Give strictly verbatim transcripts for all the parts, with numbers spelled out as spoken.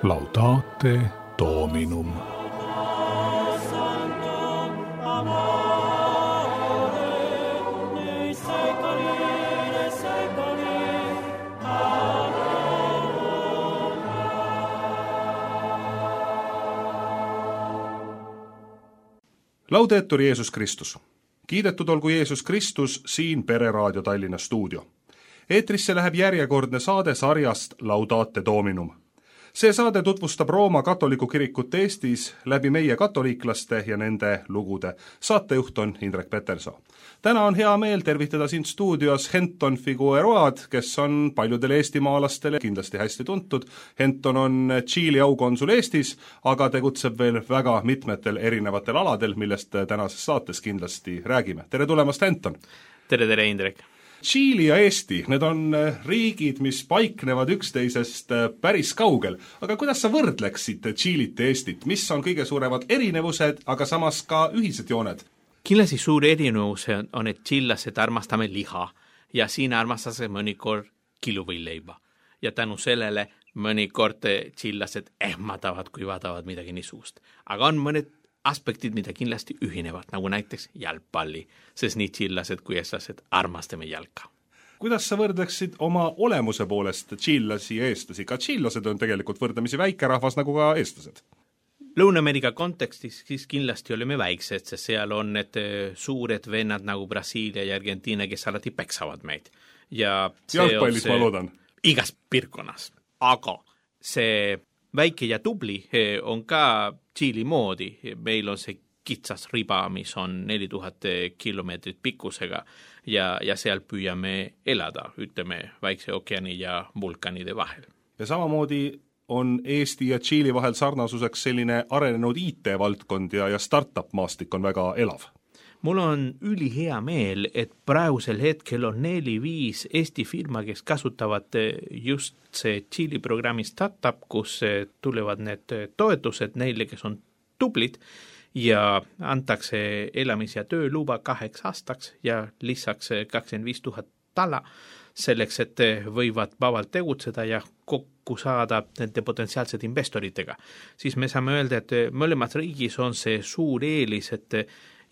Laudate Dominum. Laudetur Jeesus Kristus. Kiidetud olgu Jeesus Kristus siin Pereraadio Tallinna stuudio. Eetrisse läheb järjekordne saade sarjast Laudate Dominum. See saade tutvustab Rooma katoliku kirikut Eestis läbi meie katoliiklaste ja nende lugude. Saatejuht on Indrek Petersoo. Täna on hea meel tervitada siin stuudios Henton Figueroad, kes on paljudele eestimaalastele kindlasti hästi tuntud. Henton on Tšiili aukonsul Eestis, aga tegutseb veel väga mitmetel erinevatel aladel, millest tänases saates kindlasti räägime. Tere tulemast, Henton! Tere, tere, Indrek! Tšiili ja Eesti, need on riigid, mis paiknevad üksteisest päris kaugel. Aga kuidas sa võrdleksid Tšiilit ja Eestit? Mis on kõige suuremad erinevused, aga samas ka ühised jooned? Kindlasti suur erinevus on, et tšillased armastame liha ja siin armastase mõnikord kiluvõileiba. Ja tänu sellele mõnikord tšillased ehmatavad, kui vaatavad midagi nii suust. Aga on mõned aspektid, mida kindlasti ühinevad, nagu näiteks jalgpalli, sest nii tšillased kui eestlased armastame jalka. Kuidas sa võrdleksid oma olemuse poolest tšillasi ja eestlasi? Ka tšillased on tegelikult võrdlemisi väikerahvas nagu ka eestlased. Lõuna-Ameerika kontekstis siis kindlasti oleme väiksed, sest seal on need suured vennad nagu Brasiilia ja Argentiina, kes alati peksavad meid. Ja jalgpallis ma loodan. Igas piirkonnas. Aga see väike ja tubli on ka Tšiili moodi. Meil on see kitsas riba, mis on neli tuhat kilomeetrit pikkusega ja, ja seal püüame elada, ütleme, Vaikse ookeani ja vulkanide vahel. Ja samamoodi on Eesti ja Tšiili vahel sarnasuseks selline arenenud I T-valdkond ja, ja startup-maastik on väga elav. Mul on üli hea meel, et praegusel hetkel on neli-viis Eesti firma, kes kasutavad just see Tšiili programmi startup, kus tulevad need toetused neile, kes on tublid ja antakse elamis- ja tööluba kaheks aastaks ja lisaks kakskümmend viis tuhat tala selleks, et võivad vabalt tegutseda ja kokku saada nende potentsiaalsed investoritega. Siis me saame öelda, et mõlemas riigis on see suur eelis, et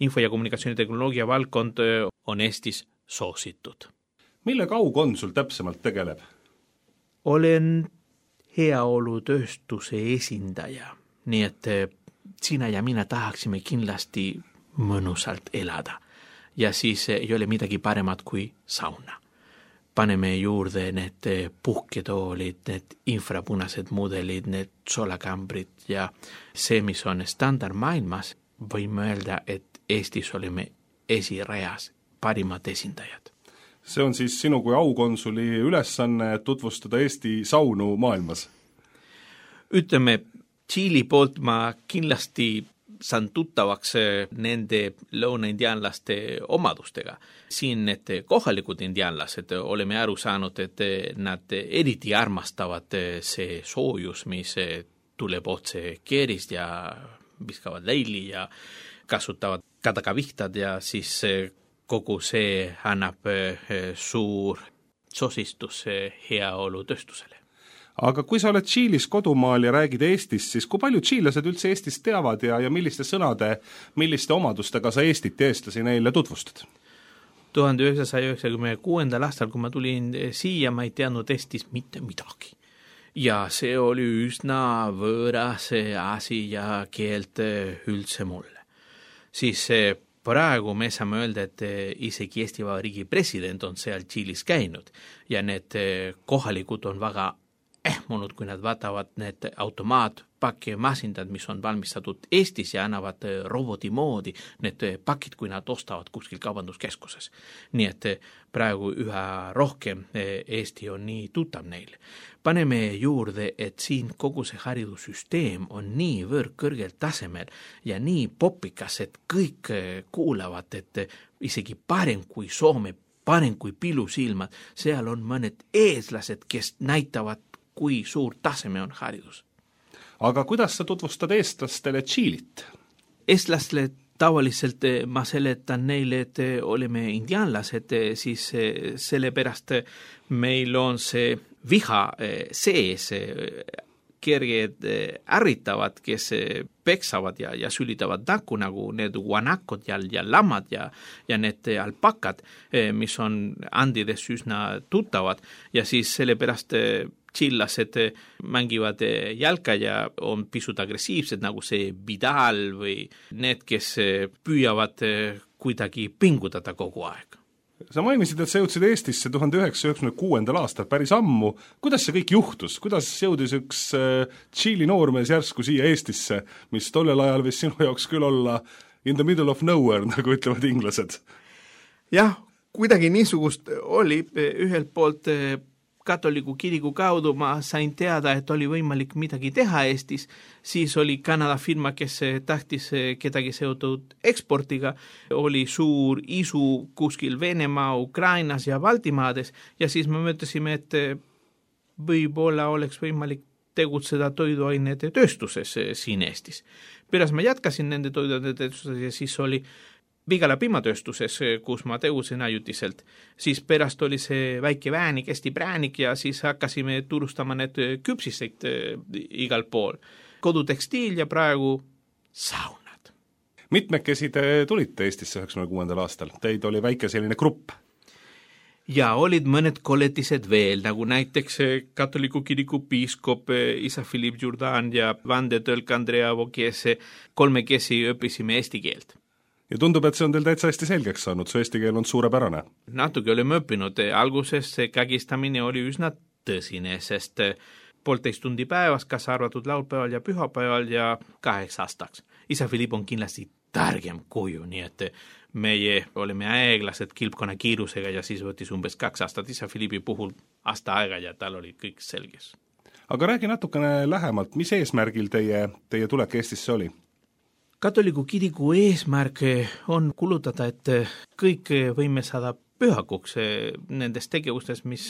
info- ja kommunikatsioonitehnoloogia valdkond on Eestis soositud. Millega aukonsul täpsemalt tegeleb? Olen heaolutööstuse esindaja, nii et sina ja mina tahaksime kindlasti mõnusalt elada. Ja siis ei ole midagi paremat kui sauna. Paneme juurde need puhketoolid, need infrapunased mudelid, need solakambrid ja see, mis on standard maailmas, võime öelda, et Eestis oleme esireas parimad esindajad. See on siis sinu kui aukonsuli ülesanne tutvustada Eesti saunu maailmas? Ütleme, Tšiili poolt ma kindlasti saan tuttavaks nende lõuna-indianlaste omadustega. Siin need kohalikud indianlased oleme aru saanud, et nad eriti armastavad see soojus, mis tuleb otse keerist ja viskavad leili ja kasutavad kadagavihtad ja siis kogu see annab suur sosistus heaolutööstusele. Aga kui sa oled Tšiilis kodumaal ja räägid Eestist, siis kui palju tšiilased üldse Eestist teavad ja, ja milliste sõnade, milliste omadustega sa Eestit ja eestlasi neile tutvustad? tuhande üheksasaja üheksakümne kuuendal aastal, kui ma tulin siia, ma ei teadnud Eestis mitte midagi. Ja see oli üsna võõras asi ja keelt üldse mulle. Siis praegu me saame öelda, et isegi Eesti Vabariigi president on seal Tšiilis käinud ja need kohalikud on väga ehmunud, kui nad vaatavad need automaatpakimasindad, mis on valmistatud Eestis ja annavad roboti moodi need pakid, kui nad ostavad kuskil kaubanduskeskuses. Nii et praegu üha rohkem Eesti on nii tuttav neil. Paneme juurde, et siin kogu see haridussüsteem on nii võrd kõrgelt tasemel ja nii popikas, et kõik kuulavad, et isegi parem kui Soome, parem kui pilusilmad, seal on mõned eeslased, kes näitavad, kui suur taseme on haridus. Aga kuidas sa tutvustad eestlastele Tšiilit? Eestlastele tavaliselt ma seletan neile, et oleme indianlased, siis sellepärast meil on see viha sees kerged ärritavad, kes peksavad ja, ja sülitavad nakku, nagu need guanakod ja, ja lammad ja, ja need alpakad, mis on Andides üsna tuttavad ja siis sellepärast chillased mängivad jalka ja on pisut agressiivsed, nagu see Vidal või need, kes püüavad kuidagi pingutada kogu aeg. Sa mainisid, et sa jõudsid Eestisse tuhande üheksasaja üheksakümne kuuendal aastal päris ammu. Kuidas see kõik juhtus? Kuidas jõudis üks Tšiili noormees järsku siia Eestisse, mis tollel ajal võis sinu jaoks küll olla in the middle of nowhere, nagu ütlevad inglased? Jah, kuidagi niisugust oli ühelt poolt katoliku kiriku kaudu ma sain teada, et oli võimalik midagi teha Eestis, siis oli Kanada firma, kes tahtis kedagi seotud eksportiga, oli suur isu kuskil Venemaa, Ukrainas ja Baltimaades ja siis me mõtlesime, et võib-olla oleks võimalik tegutseda toiduainete tööstuses siin Eestis. Pärast ma jätkasin nende toiduainete tööstuses ja siis oli Vigala piimatööstuses, kus ma tegutsen ajutiselt, siis pärast oli see väike väänik, hästi präänik ja siis hakkasime turustama need küpsiseid igal pool. Kodutekstiil ja praegu saunad. Mitmekesi te tulite Eestisse üheksakümne kuuendal aastal? Teid oli väike selline grupp? Ja olid mõned kolletised veel, nagu näiteks katoliku kiriku piiskop isa Philippe Jourdan ja vandetõlk Andrea Vokese, kolmekesi õppisime eesti keelt. Ja tundub, et see on teil täitsa hästi selgeks saanud, su eesti keel on suurepärane. Natuke olime õppinud, alguses see kägistamine oli üsna tõsine, sest poolteist tundi päevas, kas arvatud laupäeval ja pühapäeval ja kaheks aastaks. Isa Philippe on kindlasti targem kuju, nii et meie olime aeglased kilpkonna kiirusega ja siis võttis umbes kaks aastat Isa Philippi puhul aasta aega ja tal oli kõik selges. Aga räägi natukene lähemalt, mis eesmärgil teie, teie tulek Eestisse oli? Katoliku kiriku eesmärk on kulutada, et kõik võime saada pühakuks nendes tegevustes, mis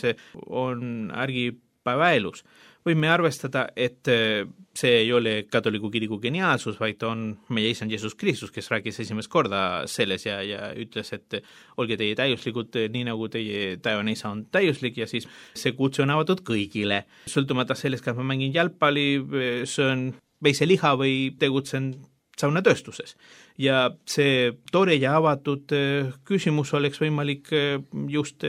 on argipäevaelus. Võime arvestada, et see ei ole katoliku kiriku geniaalsus, vaid on meie isand Jeesus Kristus, kes rääkis esimest korda selles ja, ja ütles, et olge teie täiuslikud, nii nagu teie taevane isa on täiuslik ja siis see kutse on avatud kõigile. Sõltumata sellest, kas ma mängin jalgpalli, söön veiseliha või tegutsen saunatööstuses. Ja see tore ja avatud küsimus oleks võimalik just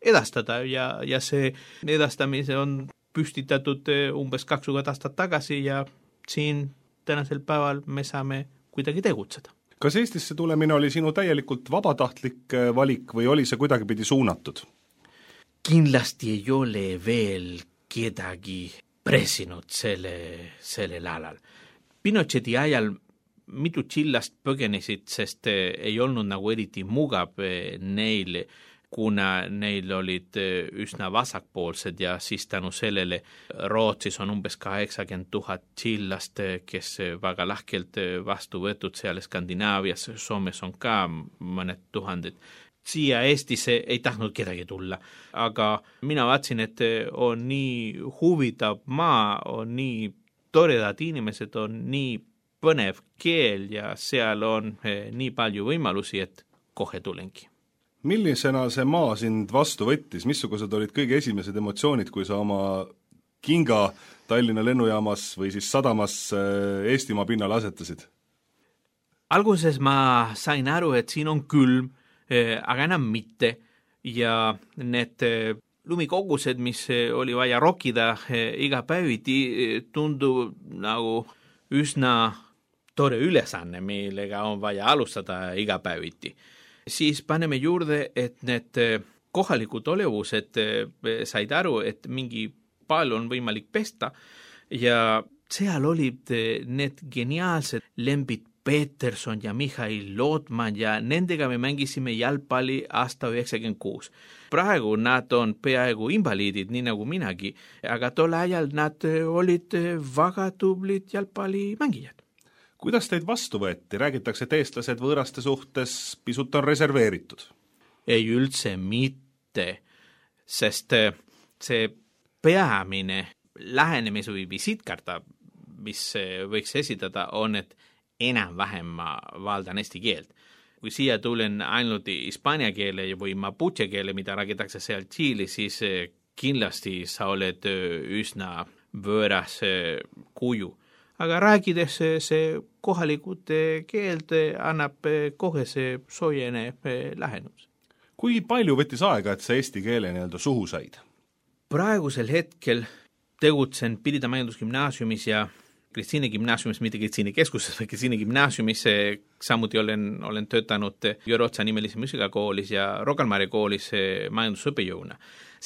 edastada ja, ja see edastamise on püstitatud umbes kakskümmend aastat tagasi ja siin tänasel päeval me saame kuidagi tegutseda. Kas Eestisse tulemine oli sinu täielikult vabatahtlik valik või oli see kuidagi pidi suunatud? Kindlasti ei ole veel kedagi pressinud selle, sellel alal. Pinocheti ajal mitu tšillast põgenesid, sest ei olnud nagu eriti mugav neil, kuna neil olid üsna vasakpoolsed ja siis tänu sellele Rootsis on umbes kaheksakümmend tuhat tšillast, kes väga lahkelt vastu võetud seal Skandinaavias, Soomes on ka mõned tuhanded. Siia Eestisse ei tahtnud kedagi tulla, aga mina vaatsin, et on nii huvitav maa, on nii toredad inimesed, on nii põnev keel ja seal on nii palju võimalusi, et kohe tulengi. Millisena see maa sind vastu võttis? Missugused olid kõige esimesed emotsioonid, kui sa oma kinga Tallinna lennujaamas või siis sadamas Eestimaa pinnale asetasid? Alguses ma sain aru, et siin on külm, aga enam mitte ja need lumikogused, mis oli vaja rokida iga päeviti, tundub nagu üsna tore ülesanne, millega on vaja alustada iga päeviti. Siis paneme juurde, et need kohalikud olevused said aru, et mingi palju on võimalik pesta ja seal olid need geniaalsed Lembit Peterson ja Mihhail Lotman ja nendega me mängisime jalgpalli aasta üheksakümmend kuus. Praegu nad on peaaegu invaliidid, nii nagu minagi, aga tol ajal nad olid väga tublid jalgpallimängijad. Kuidas teid vastu võeti? Räägitakse, et eestlased võõraste suhtes pisut on reserveeritud. Ei üldse mitte, sest see peamine lähenemis- või visiitkarta, mis võiks esitada, on, et enam-vähem ma valdan eesti keelt. Kui siia tulen ainult hispaania keele või mapuche keele, mida räägitakse seal Tšiili, siis kindlasti sa oled üsna võõras kuju. Aga rääkides see kohalikud keeld annab kohe see soojene lähenemus. Kui palju võttis aega, et see eesti keele nii-öelda suhu said? Praegusel hetkel tegutsen Pirita majandusgümnaasiumis ja Kristiine gümnaasiumis, mitte Kristiine keskuses, või Kristiine gümnaasiumis, samuti olen, olen töötanud Jõrotsa nimelise muusikakoolis ja Rocca al Mare koolis majandusõppejõuna.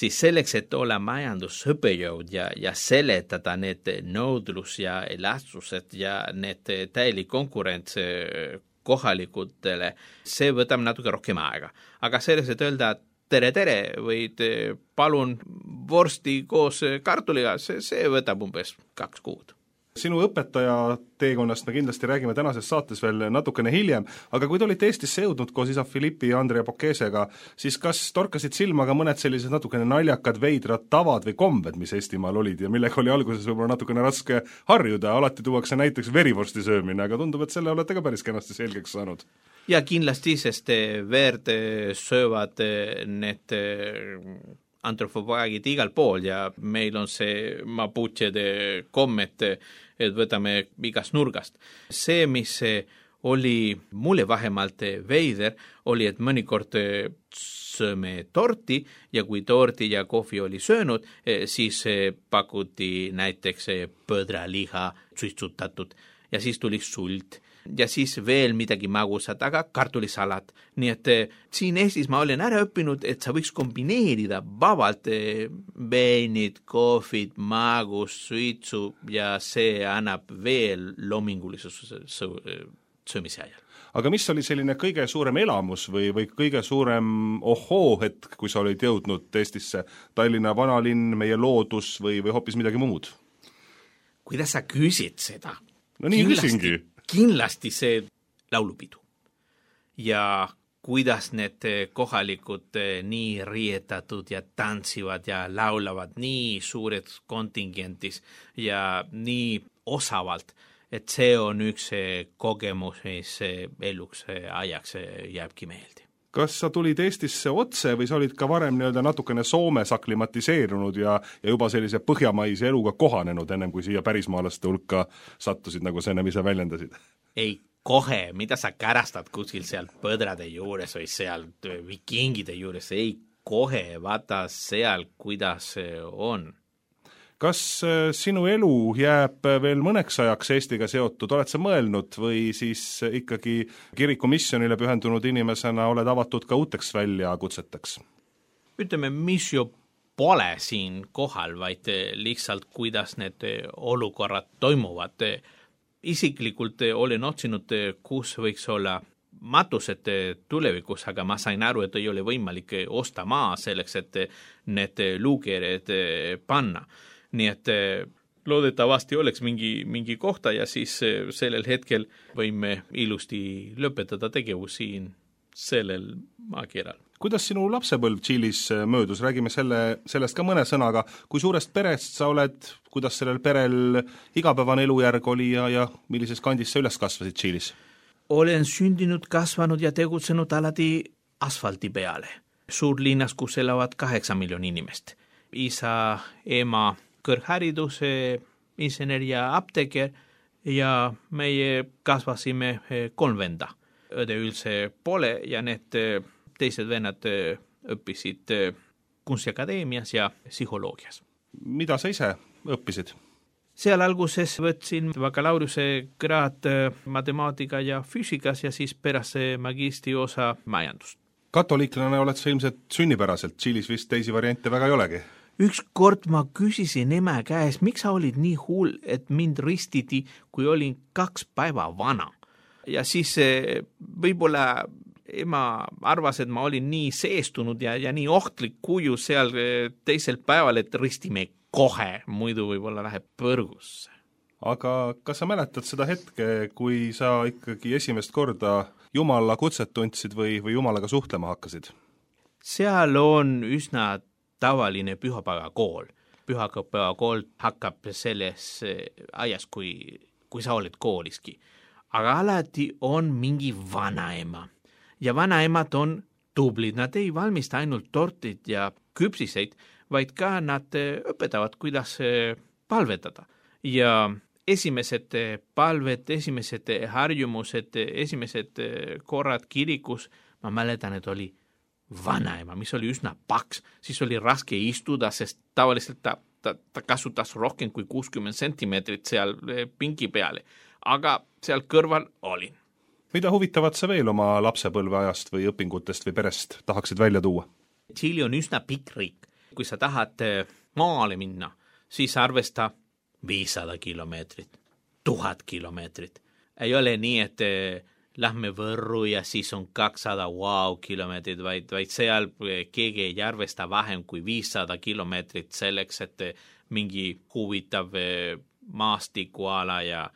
Siis selleks, et olla majandusõppejõud ja, ja seletada need nõudlus ja elastsused ja need täielik konkurents kohalikutele, see võtab natuke rohkem aega. Aga selles, et öelda tere, tere, või palun vorsti koos kartuliga, see, see võtab umbes kaks kuud. Sinu õpetaja teekonnast me kindlasti räägime tänases saates veel natukene hiljem, aga kui te olite Eestisse jõudnud koos isa Filippi ja Andrea Pokesega, siis kas torkasid silma ka mõned sellised natukene naljakad, veidrad tavad või kombed, mis Eestimaal olid ja millega oli alguses võib-olla natukene raske harjuda, alati tuuakse näiteks verivorsti söömine, aga tundub, et selle olete ka päris kenasti selgeks saanud. Ja kindlasti, sest verd söövad need antropofaagid igal pool ja meil on see mapuchede kommet, et võtame igast nurgast. See, mis oli mulle vähemalt veider, oli, et mõnikord sööme torti ja kui torti ja kohvi oli söönud, siis pakuti näiteks põdraliha suitsutatud ja siis tuli sult ja siis veel midagi magusat, aga kartulisalat. Nii et siin Eestis ma olen ära õppinud, et sa võiks kombineerida vabalt veinid, kohvid, magus, suitsu ja see annab veel loomingulisuse söömise ajal. Aga mis oli selline kõige suurem elamus või, või kõige suurem ohoo hetk, kui sa olid jõudnud Eestisse? Tallinna vanalinn, meie loodus või, või hoopis midagi muud? Kuidas sa küsid seda? No nii küsingi. Kindlasti see laulupidu ja kuidas need kohalikud nii rietatud ja tantsivad ja laulavad nii suured kontingentis ja nii osavalt, et see on üks kogemus, mis eluks ajaks jääbki meelde. Kas sa tulid Eestisse otse või sa olid ka varem nii-öelda natukene Soomes aklimatiseerunud ja, ja juba sellise põhjamaise eluga kohanenud, ennem kui siia pärismaalaste hulka sattusid, nagu sa ennem ise väljendasid? Ei, kohe, mida sa kärastad kuskil seal põdrade juures või seal vikingide juures, ei kohe, vaata seal, kuidas on. Kas sinu elu jääb veel mõneks ajaks Eestiga seotud, oled sa mõelnud või siis ikkagi kiriku missionile pühendunud inimesena oled avatud ka uuteks väljakutseteks? Ütleme, mis ju pole siin kohal, vaid lihtsalt kuidas need olukorrad toimuvad. Isiklikult olen otsinud, kus võiks olla matused tulevikus, aga ma sain aru, et ei ole võimalik osta maa selleks, et need luukered panna. Nii et loodetavasti oleks mingi, mingi kohta ja siis sellel hetkel võime ilusti lõpetada tegevus siin sellel maakeral. Kuidas sinu lapsepõlv Tšiilis möödus? Räägime selle, sellest ka mõne sõnaga. Kui suurest perest sa oled, kuidas sellel perel igapäevane elujärg oli ja, ja millises kandis sa üles kasvasid Tšiilis? Olen sündinud, kasvanud ja tegutsenud alati asfalti peale. Suurlinnas, kus elavad kaheksa miljoni inimest. Isa, ema, kõrghariduse, insener ja apteeker ja meie kasvasime kolm venda. Õde üldse pole ja need teised vennad õppisid kunstiakadeemias ja psühholoogias. Mida sa ise õppisid? Seal alguses võtsin bakalaureuse kraad matemaatika ja füüsikas ja siis pärast magistri osa majandust. Katoliiklane oled sa ilmselt sünnipäraselt, Tšiilis vist teisi variante väga ei olegi? Üks kord ma küsisin ema käes, miks sa olid nii hull, et mind ristiti, kui olin kaks päeva vana. Ja siis võib-olla ema arvas, et ma olin nii seestunud ja, ja nii ohtlik kuju seal teisel päeval, et ristime kohe, muidu võib-olla läheb põrgusse. Aga kas sa mäletad seda hetke, kui sa ikkagi esimest korda Jumala kutset tundsid või, või Jumalaga suhtlema hakkasid? Seal on üsna tavaline pühapäevakool. Pühapäevakool hakkab selles ajas, kui, kui sa oled kooliski. Aga alati on mingi vanaema. Ja vanaemad on tublid. Nad ei valmista ainult tortid ja küpsiseid, vaid ka nad õpetavad, kuidas palvetada ja esimesed palved, esimesed harjumused, esimesed korrad kirikus, ma mäletan, et oli vanaema, mis oli üsna paks, siis oli raske istuda, sest tavaliselt ta, ta, ta kasutas rohkem kui kuuskümmend sentimeetrit seal pingi peale, aga seal kõrval olin. Mida huvitavat sa veel oma lapsepõlveajast või õpingutest või perest tahaksid välja tuua? Tšiili on üsna pikk riik. Kui sa tahad maale minna, siis arvesta viissada kilomeetrit, tuhat kilomeetrit. Ei ole nii, et lähme Võrru ja siis on kakssada wow kilomeetrit, vaid, vaid seal keegi ei arvesta vähem kui viissada kilomeetrit selleks, et mingi huvitav maastikuala ja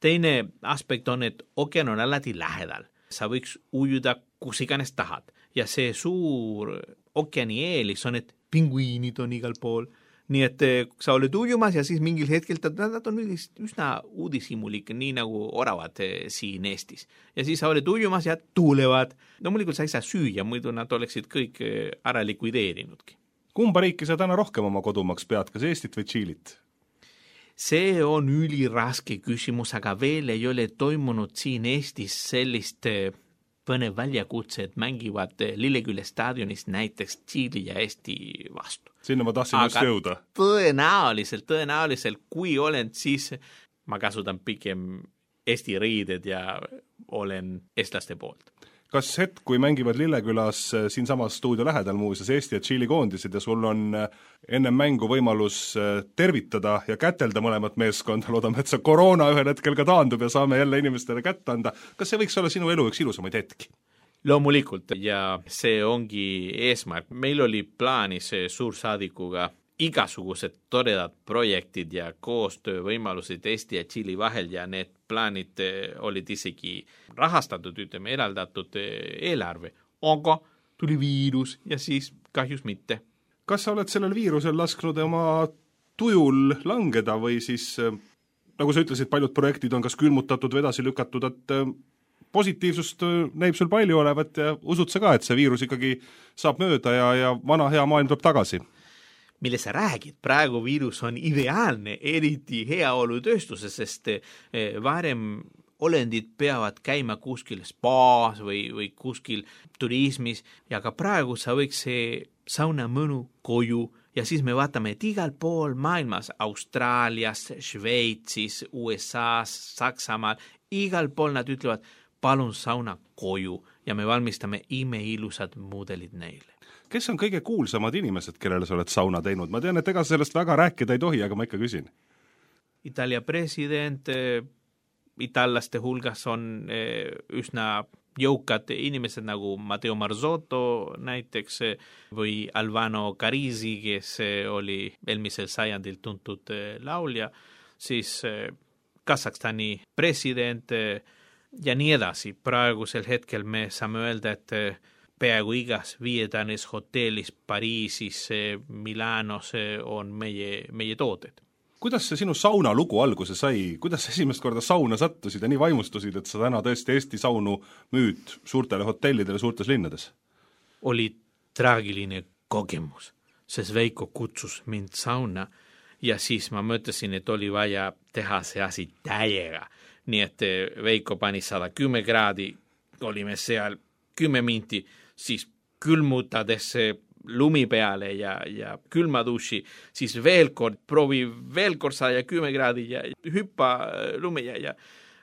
teine aspekt on, et ookean on alati lähedal. Sa võiks ujuda kus iganes tahad ja see suur ookeani eelis on, et pinguiinid on igal pool. Nii et sa oled ujumas ja siis mingil hetkel nad on üsna uudishimulik, nii nagu oravad siin Eestis. Ja siis sa oled ujumas ja tuulevad. No muidugi sa ei saa süüa, muidu nad oleksid kõik ära likvideerinudki. Kumba riiki sa täna rohkem oma kodumaks pead, kas Eestit või Tšiilit? See on üliraske küsimus, aga veel ei ole toimunud siin Eestis sellist põnev väljakutse, et mängivad Lillekülle staadionis näiteks Tšiili ja Eesti vastu. Sinna ma tahtsin aga just jõuda. Tõenäoliselt, tõenäoliselt, kui olen, siis ma kasutan pigem Eesti riided ja olen eestlaste poolt. Kas hetk, kui mängivad Lillekülas siin samas stuudio lähedal muuseas Eesti ja Tšiili koondised ja sul on ennem mängu võimalus tervitada ja kätelda mõlemat meeskonda, loodame, et see koroona ühel hetkel ka taandub ja saame jälle inimestele kätt anda. Kas see võiks olla sinu elu üks ilusamaid hetki? Loomulikult ja see ongi eesmärk. Meil oli plaanis suursaadikuga igasugused toredad projektid ja koostöövõimalused Eesti ja Tšiili vahel ja need plaanid olid isegi rahastatud, ütleme, eraldatud eelarve. Aga tuli viirus ja siis kahjus mitte. Kas sa oled sellel viirusel lasknud oma tujul langeda või siis, nagu sa ütlesid, paljud projektid on kas külmutatud või edasi lükatud, et positiivsust näib sul palju olevat ja usud sa ka, et see viirus ikkagi saab mööda ja, ja vana hea maailm tuleb tagasi? Mille sa räägid, praegu viirus on ideaalne, eriti heaolutööstuses, sest varem olendid peavad käima kuskil spaas või, või kuskil turismis ja ka praegu sa võiks see sauna mõnu koju ja siis me vaatame, et igal pool maailmas, Austraalias, Šveitsis, U S A-s, Saksamaal, igal pool nad ütlevad, palun sauna koju ja me valmistame imeilusad mudelid neile. Kes on kõige kuulsamad inimesed, kellele sa oled sauna teinud? Ma tean, et ega sellest väga rääkida ei tohi, aga ma ikka küsin. Italia president, itallaste hulgas on üsna jõukad inimesed nagu Matteo Marzotto näiteks või Alvaro Carisi, kes oli eelmisel sajandil tuntud laulja, siis Kasahstani president ja nii edasi. Praegusel hetkel me saame öelda, et peaaegu igas viiedanes hotellis Pariisis, Milanos on meie, meie tooted. Kuidas see sinu sauna lugu alguse sai? Kuidas esimest korda sauna sattusid ja nii vaimustusid, et sa täna tõesti Eesti saunu müüd suurtele hotellidele suurtes linnades? Oli traagiline kogemus, sest Veiko kutsus mind sauna ja siis ma mõtlesin, et oli vaja teha see asi täiega. Nii et Veiko pani sada kümme kraadi, olime seal kümme minti, siis külmutades lumi peale ja, ja külma duši, siis veel kord proovi veel kord sada kümme kraadi ja hüppa lumi ja, ja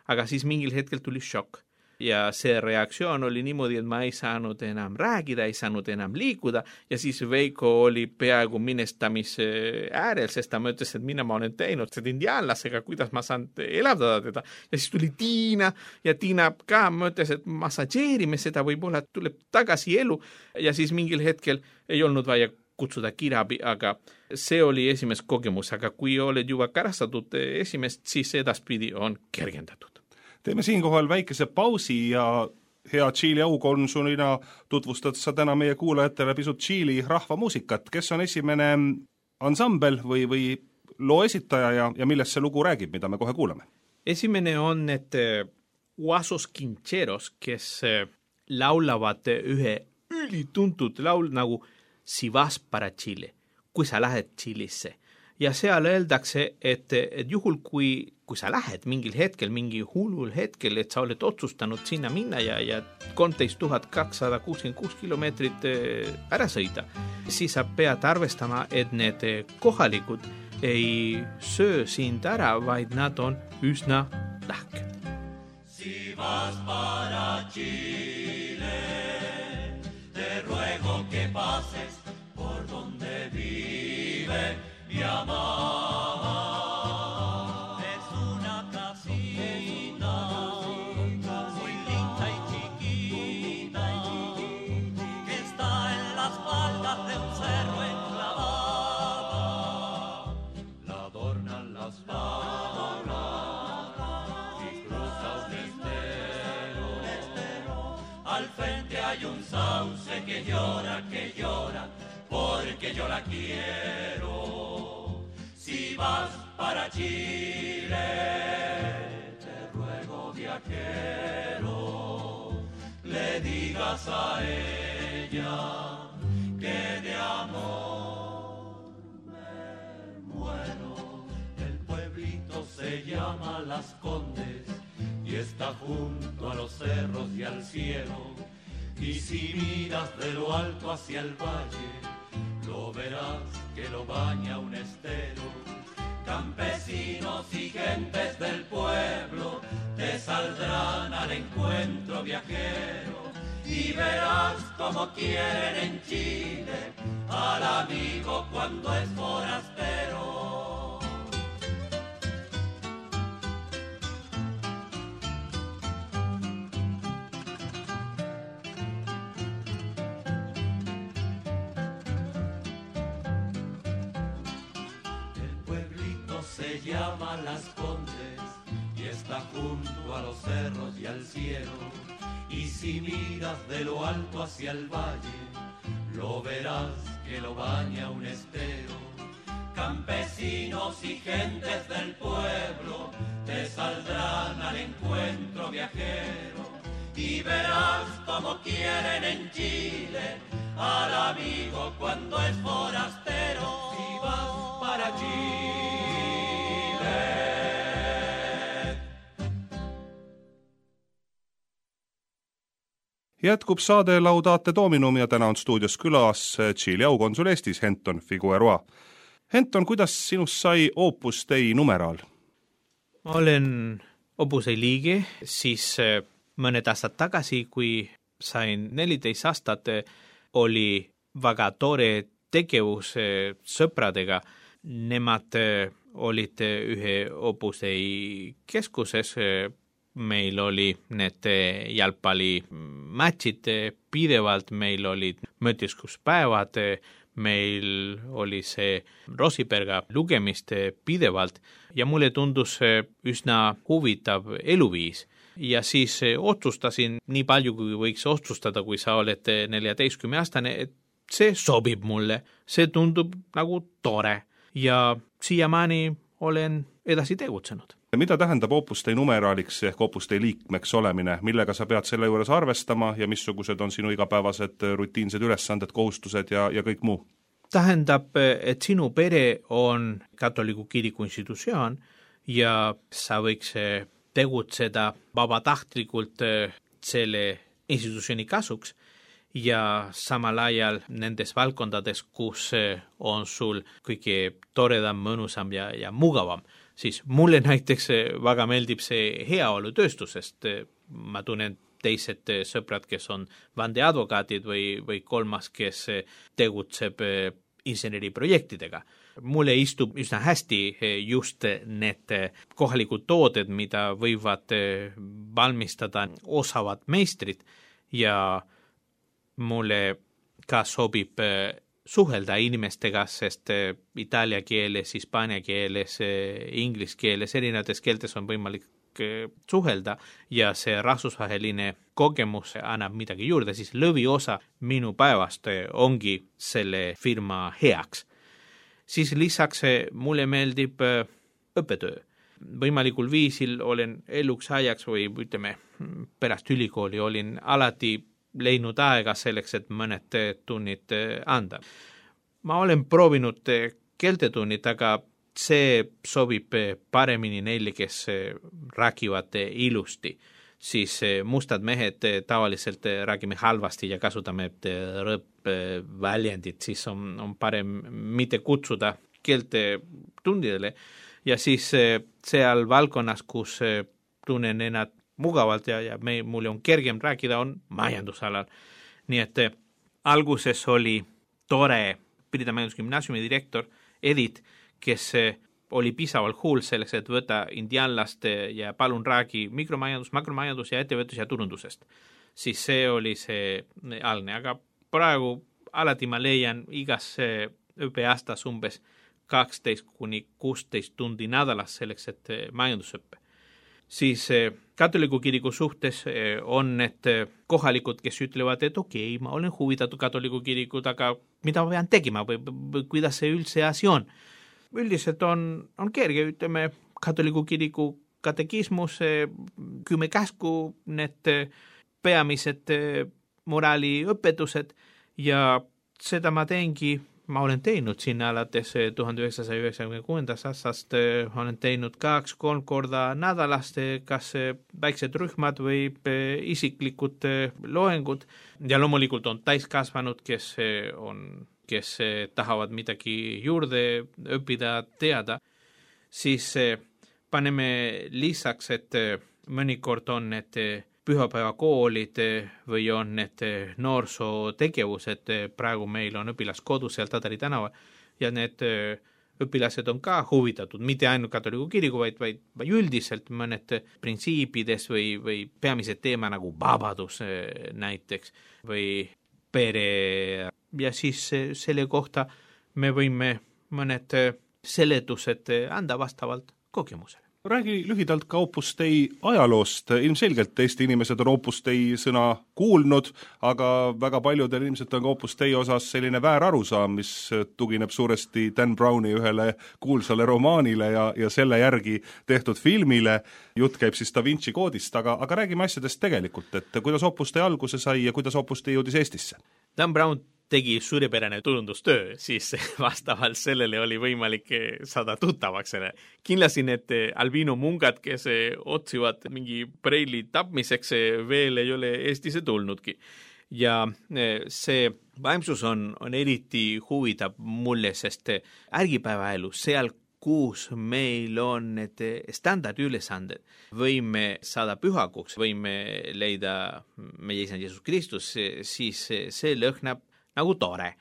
aga siis mingil hetkel tuli šokk. Ja see reaktsioon oli niimoodi, et ma ei saanud enam räägida, ei saanud enam liikuda ja siis Veiko oli peaaegu minestamise äärel, sest ta mõtles, et mina ma olen teinud seda indiaanlasega, kuidas ma saan elavdada teda. Ja siis tuli Tiina ja Tiina ka mõtles, et massageerime seda, võib-olla tuleb tagasi elu ja siis mingil hetkel ei olnud vaja kutsuda kirabi, aga see oli esimest kogemus, aga kui oled juba karastatud esimest, siis edaspidi on kergendatud. Teeme siinkohal väikese pausi ja hea Tšiili aukonsulina tutvustad sa täna meie kuulajatele pisut Tšiili rahvamuusikat. Kes on esimene ansambel või, või loo esitaja ja, ja millest see lugu räägib, mida me kohe kuulame? Esimene on need Huasos Quincheros, kes laulavad ühe ülituntud laul nagu Si vas para Chile, kui sa lähed Tšilisse. ja seal öeldakse, et, et juhul, kui, kui sa lähed mingil hetkel, mingi hullul hetkel, et sa oled otsustanud sinna minna ja, ja kolmteist tuhat kakssada kuuskümmend kuus kilomeetrit ära sõida, siis sa pead arvestama, et need kohalikud ei söö sind ära, vaid nad on üsna lahked. Si vas para Chile, te ruego que pases por donde vive mi amor. Es una casita muy linda y chiquita que está en las faldas de un cerro enclavada. La adornan las farolas y cruza un estero. Al frente hay un sauce que llora, que llora, porque yo la quiero. Si vas para Chile, te ruego, viajero, le digas a ella que de amor me muero. El pueblito se llama Las Condes y está junto a los cerros y al cielo. Y si miras de lo alto hacia el valle, lo verás que lo baña un estero. Campesinos y gentes del pueblo te saldrán al encuentro, viajero, y verás como quieren en Chile al amigo cuando es forastero. Se llama Las Condes y está junto a los cerros y al cielo. Y si miras de lo alto hacia el valle, lo verás que lo baña un estero. Campesinos y gentes del pueblo te saldrán al encuentro, viajero, y verás como quieren en Chile al amigo cuando es forastero. Si vas para Chile, jätkub saade Laudate Dominum ja täna on stuudios külas Tšiili aukonsul Eestis, Henton Figueroa. Henton, kuidas sinust sai Opus Dei numeraal? Ma olen Opus Dei liige, siis mõned aastad tagasi, kui sain neliteist aastat, oli väga tore tegevus sõpradega. Nemad olid ühe Opus Dei keskuses, meil oli need jalgpallimatšid pidevalt, meil olid mõtiskuspäevad, meil oli see Rosiperga lugemist pidevalt ja mulle tundus üsna huvitav eluviis. Ja siis otsustasin nii palju, kui võiks otsustada, kui sa oled neljateistkümne aastane, et see sobib mulle, see tundub nagu tore ja siiamaani olen edasi tegutsenud. Mida tähendab Opus Dei numeraaliks ehk Opus Dei liikmeks olemine, millega sa pead selle juures arvestama ja missugused on sinu igapäevased rutiinsed ülesanded, kohustused ja, ja kõik muu? Tähendab, et sinu pere on katoliku kiriku institutsioon ja sa võiks tegutseda vabatahtlikult selle institutsiooni kasuks ja samal ajal nendes valdkondades, kus on sul kõige toredam, mõnusam ja, ja mugavam. Siis mulle näiteks väga meeldib see heaolutööstusest. Ma tunnen teised sõbrad, kes on vandeadvokaatid või, või kolmas, kes tegutseb inseneriprojektidega. Mulle istub üsna hästi just need kohalikud tooted, mida võivad valmistada osavad meistrid ja mulle ka sobib suhelda inimestega, sest itaalia keeles, hispaania keeles, inglis keeles, erinevates keeltes on võimalik suhelda ja see rahvusvaheline kogemus annab midagi juurde, siis lõviosa minu päevast ongi selle firma heaks. Siis lisaks mulle meeldib õppetöö. Võimalikul viisil olen eluks ajaks või ütleme pärast ülikooli olin alati leidnud aega selleks, et mõned tunnid anda. Ma olen proovinud keeltetunnid, aga see sobib paremini neile, kes räägivad ilusti, siis mustad mehed tavaliselt räägime halvasti ja kasutame rõõpväljendit, siis on, on parem mitte kutsuda keelte tundidele ja siis seal valdkonnas, kus tunnen ennast mugavalt ja, ja me, mulle on kergem rääkida, on majandusalal. Nii et alguses oli tore Pirita majandusgümnaasiumi direktor Edith, kes oli piisavalt huul selleks, et võtta indianlast ja palun räägi mikromajandus, makromajandus ja ettevõtlus ja turundusest. Siis see oli see algne, aga praegu alati ma leian igas õppeaastas umbes kaksteist kuni kuusteist tundi nädalas selleks, et majandusõppe. Siis katoliku kiriku suhtes on need kohalikud, kes ütlevad, et okei, okay, ma olen huvitatud katoliku kirikut, aga mida ma pean tegema või, või kuidas see üldse asi on? Üldiselt on, on kerge, ütleme, katoliku kiriku katekismus, kümme käsku, need peamised moraaliõpetused ja seda ma teengi, ma olen teinud sinna alates tuhande üheksasaja üheksakümne kuuendast aastast, olen teinud kaks, kolm korda nädalast, kas väiksed rühmad või isiklikud loengud ja loomulikult on täiskasvanud, kes on, kes tahavad midagi juurde õppida, teada, siis paneme lisaks, et mõnikord on need pühapäevakoolid või on need noorsootegevused, praegu meil on õpilaskodus seal Tadari tänava ja need õpilased on ka huvitatud, mitte ainult katoliku kiriku, vaid, vaid, vaid üldiselt mõned printsiipides või, või peamised teema nagu vabadus näiteks või pere ja siis selle kohta me võime mõned seletused anda vastavalt kogemusele. Räägi lühidalt ka Opus Dei ajaloost. Ilmselgelt Eesti inimesed on Opus Dei sõna kuulnud, aga väga paljudel ilmselt on ka Opus Dei osas selline väärarusaam, mis tugineb suuresti Dan Browni ühele kuulsale romaanile ja, ja selle järgi tehtud filmile. Jutt käib siis Da Vinci koodist, aga, aga räägime asjadest tegelikult, et kuidas Opus Dei alguse sai ja kuidas Opus Dei jõudis Eestisse? Dan Brown tegi suurepärane turundustöö, siis vastavalt sellele oli võimalik saada tuttavaks. Kindlasti need albino mungad, kes otsivad mingi preili tapmiseks, veel ei ole Eestisse tulnudki. Ja see vaimsus on, on eriti huvitab mulle, sest ärgipäevaelu seal, kus meil on need standardülesanded, võime saada pühakuks, võime leida meie isand Jeesus Kristus, siis see lõhnab nagu tore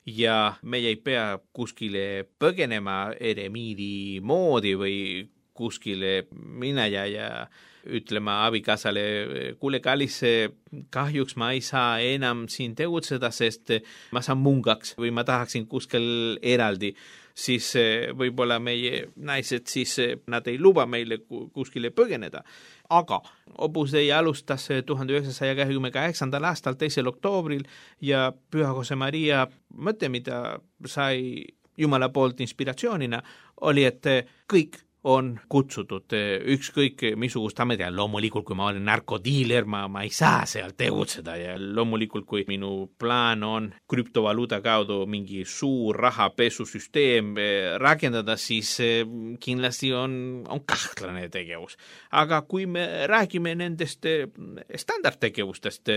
ja meie ei pea kuskile põgenema eremiidi moodi või kuskile mineja ja ütlema abikaasale, kuule kallis, kahjuks ma ei saa enam siin tegutseda, sest ma saan mungaks või ma tahaksin kuskil eraldi, siis võib-olla meie naised, siis nad ei luba meile kuskile põgeneda. Aga Opus Dei alustas tuhande üheksasaja kahekümne kaheksandal aastal teisel oktoobril ja Püha Jose Maria mõte, mida sai Jumala poolt inspiratsioonina, oli, et kõik on kutsutud ükskõik missugust ametia. Loomulikult, kui ma olen narkodiiler, ma, ma ei saa seal tegutseda ja loomulikult, kui minu plaan on krüptovaluuta kaudu mingi suur rahapesusüsteem rakendada, siis kindlasti on, on kahtlane tegevus. Aga kui me räägime nendest standardtegevustest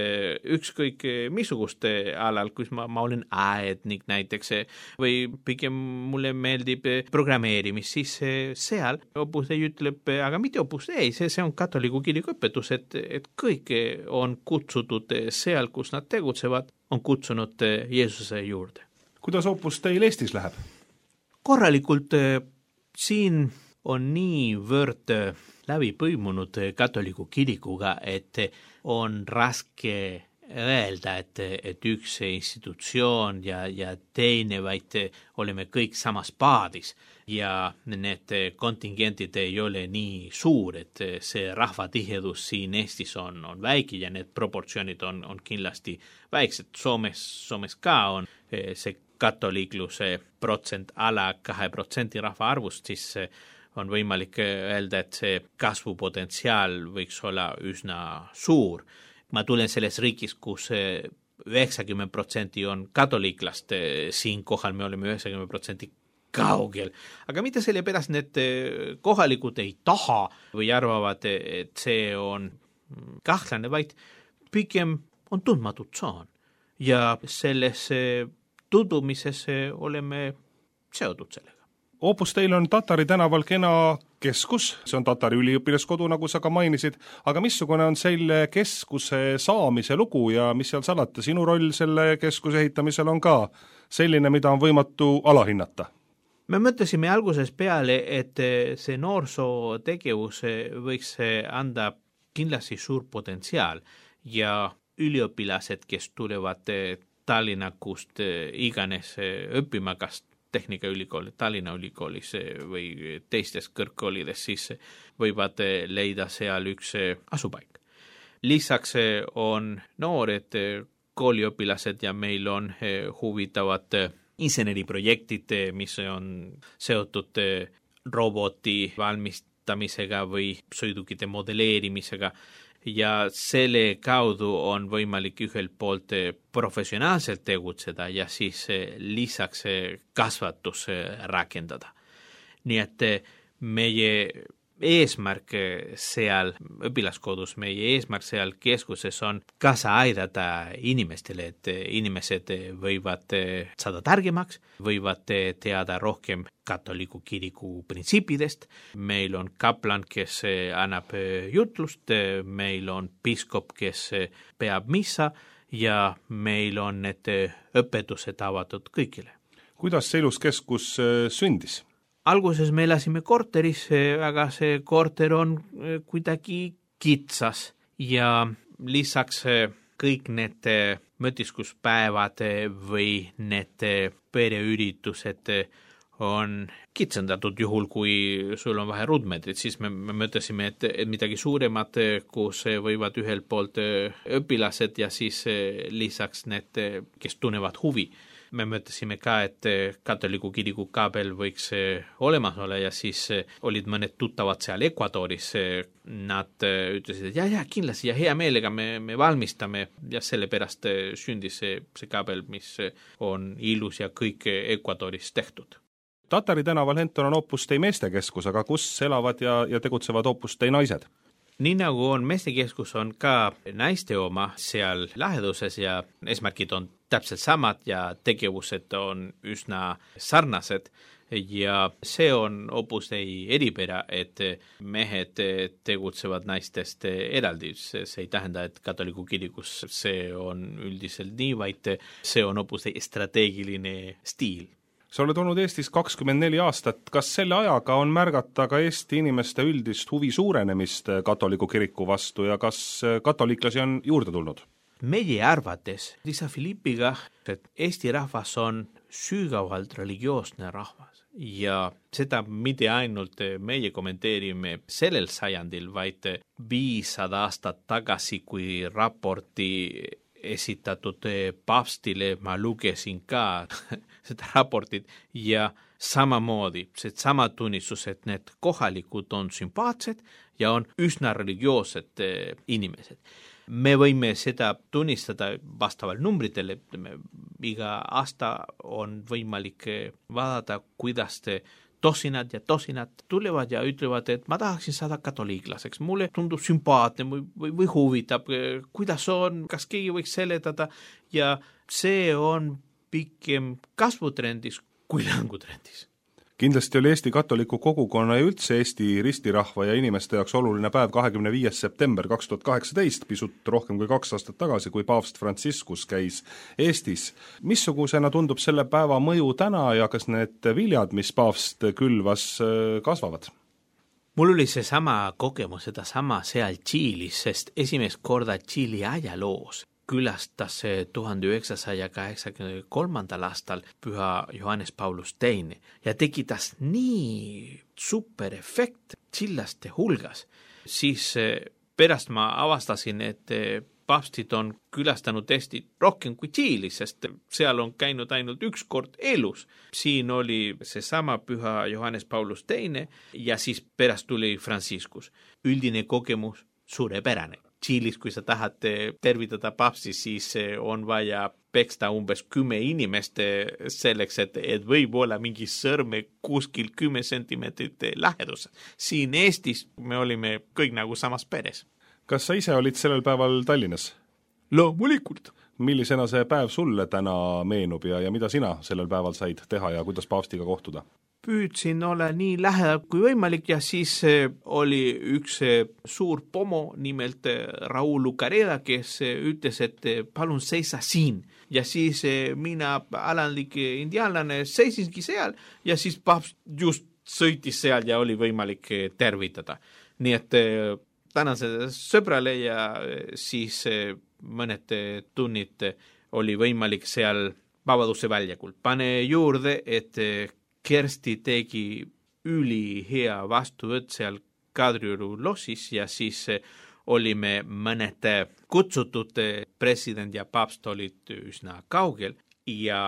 ükskõik missugust alal, kus ma, ma olen aednik näiteks või pigem mulle meeldib programmeerimis, siis seal Opus Dei ütleb, aga mitte Opus Dei, see, see on katoliku kiriku õpetus, et, et kõik on kutsutud seal, kus nad tegutsevad, on kutsunud Jeesuse juurde. Kuidas Opus Deil Eestis läheb? Korralikult siin on niivõrd läbi põimunud katoliku kirikuga, et on raske öelda, et, et üks institutsioon ja, ja teine, vaid oleme kõik samas paadis ja need kontingentid ei ole nii suur, et see rahvatihedus siin Eestis on, on väike ja need proportsioonid on, on kindlasti väiksed. Soomes, Soomes ka on see katoliikluse protsent ala kahe protsendi rahva arvust, siis on võimalik öelda, et see kasvupotentsiaal võiks olla üsna suur. Ma tulen selles riigis, kus üheksakümmend protsenti on katoliiklast, siin kohal me oleme üheksakümmend protsenti kaugel. Aga mitte selle pärast need kohalikud ei taha või arvavad, et see on kahtlane, vaid pigem on tundmatud saan. Ja selles tudumises oleme seotud sellega. Opus Dei on Tatari tänaval kena keskus, see on Tatari üliõpilaskodu, nagu sa ka mainisid, aga missugune on selle keskuse saamise lugu ja mis seal salata, sinu roll selle keskuse ehitamisel on ka selline, mida on võimatu alahinnata? Me mõtlesime alguses peale, et see noorsootegevus võiks anda kindlasti suur potentsiaal ja üliõpilased, kes tulevad Tallinnakust iganes õppima, kas Tehnikaülikooli, Tallinna ülikoolis või teistes kõrgkoolides, siis võivad leida seal üks asupaik. Lisaks on noored kooliõpilased ja meil on huvitavad inseneriprojektid, mis on seotud roboti valmistamisega või sõidukite modelleerimisega. Ja selle kaudu on võimalik ühelt poolt professionaalselt tegutseda ja siis lisaks kasvatus rakendada. Nii et meie eesmärk seal õpilaskodus, meie eesmärk seal keskuses on kaasa aidata inimestele, et inimesed võivad saada targemaks, võivad teada rohkem katoliku kiriku printsiipidest. Meil on kaplan, kes annab jutlust, meil on piiskop, kes peab missa ja meil on need õpetused avatud kõigile. Kuidas see ilus keskus sündis? Alguses me elasime korteris, aga see korter on kuidagi kitsas ja lisaks kõik need mõtiskuspäevad või need pereüritused on kitsendatud juhul, kui sul on vahe ruutmeetrit, siis me, me mõtlesime, et, et midagi suuremat, kus võivad ühelt poolt õpilased ja siis lisaks need, kes tunnevad huvi. Me mõtlesime ka, et katoliku kiriku kaabel võiks olemas olla ja siis olid mõned tuttavad seal Ecuadoris. Nad ütlesid, et ja, ja kindlasti ja hea meelega me, me valmistame ja selle pärast sündis see, see kaabel, mis on ilus ja kõik Ecuadoris tehtud. Tatari tänaval Henton on Opus Dei meestekeskus, aga kus elavad ja, ja tegutsevad Opus Dei naised? Nii nagu on meestekeskus, on ka naiste oma seal läheduses ja eesmärgid on täpselt samad ja tegevused on üsna sarnased ja see on Opus Dei eripära, et mehed tegutsevad naistest eraldi. See ei tähenda, et katoliku kirikus see on üldiselt nii, vaid see on Opus Dei strateegiline stiil. Sa oled olnud Eestis kakskümmend neli aastat. Kas selle ajaga on märgata ka Eesti inimeste üldist huvi suurenemist katoliku kiriku vastu ja kas katoliiklasi on juurde tulnud? Meie arvates Lisa Filippiga, et Eesti rahvas on sügavalt religioosne rahvas ja seda mitte ainult meie kommenteerime sellel sajandil, vaid viissada aastat tagasi, kui raporti esitatud paavstile ma lugesin ka seda raportit ja samamoodi see sama tunnistus, et need kohalikud on sümpaatsed ja on üsna religioossed inimesed. Me võime seda tunnistada vastaval numbritele, iga aasta on võimalik vaadata, kuidas te tosinad ja tosinad tulevad ja ütlevad, et ma tahaksin saada katoliiklaseks. Mulle tundub sümpaatne või, või, või huvitab, kuidas on, kas keegi võiks seletada ja see on pikem kasvutrendis kui langutrendis. Kindlasti oli Eesti katoliku kogukonna ja üldse Eesti ristirahva ja inimeste jaoks oluline päev kahekümne viies september kaks tuhat kaheksateist, pisut rohkem kui kaks aastat tagasi, kui paavst Franciscus käis Eestis. Missugusena tundub selle päeva mõju täna ja kas need viljad, mis paavst külvas, kasvavad? Mul oli see sama kogemus, seda sama seal Tšiilis, sest esimest korda Tšiili ajaloos külastas tuhande üheksasaja kaheksakümne kolmandal aastal püha Johannes Paulus teine ja tekitas nii super efekt tšillaste hulgas. Siis pärast ma avastasin, et paavstid on külastanud Eestit rohkem kui Tšiili, sest seal on käinud ainult üks kord elus. Siin oli see sama püha Johannes Paulus teine ja siis pärast tuli Franciscus. Üldine kogemus suurepärane. Tšiilis, kui sa tahad tervitada papsi, siis on vaja peksta umbes kümme inimest selleks, et, et võib olla mingi sõrme kuskil kümme sentimeetrit lähedus. Siin Eestis me olime kõik nagu samas peres. Kas sa ise olid sellel päeval Tallinnas? Loomulikult. Millisena see päev sulle täna meenub ja, ja mida sina sellel päeval said teha ja kuidas paavstiga kohtuda? Püüdsin olla nii lähedal kui võimalik ja siis oli üks suur pomo nimelt Raul Lucareda, kes ütles, et palun seisa siin. Ja siis mina alandlik indiaanlane seisingi seal ja siis paavst just sõitis seal ja oli võimalik tervitada. Nii et tänan seda sõbrale ja siis mõned tunnid oli võimalik seal Vabaduse väljakul. Pane juurde, et Kersti tegi üli hea vastuvõtt seal Kadrioru lossis ja siis olime mõned kutsutud, president ja paavst olid üsna kaugel ja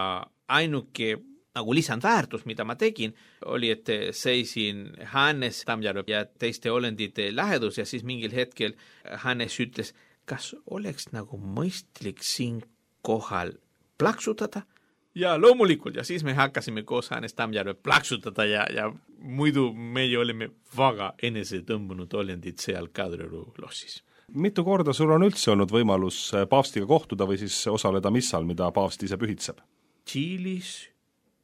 ainuke nagu lisandväärtus, mida ma tegin, oli, et seisin Hannes Tammjärve ja teiste olendite lähedus ja siis mingil hetkel Hannes ütles, kas oleks nagu mõistlik siin kohal plaksutada? Ja loomulikult ja siis me hakkasime koos Hannes Tammjärve plaksutada ja, ja muidu meie olime väga enese tõmbunud olendid seal Kadrioru lossis. Mitu korda sul on üldse olnud võimalus paavstiga kohtuda või siis osaleda missal, mida paavst ise pühitseb? Tšiilis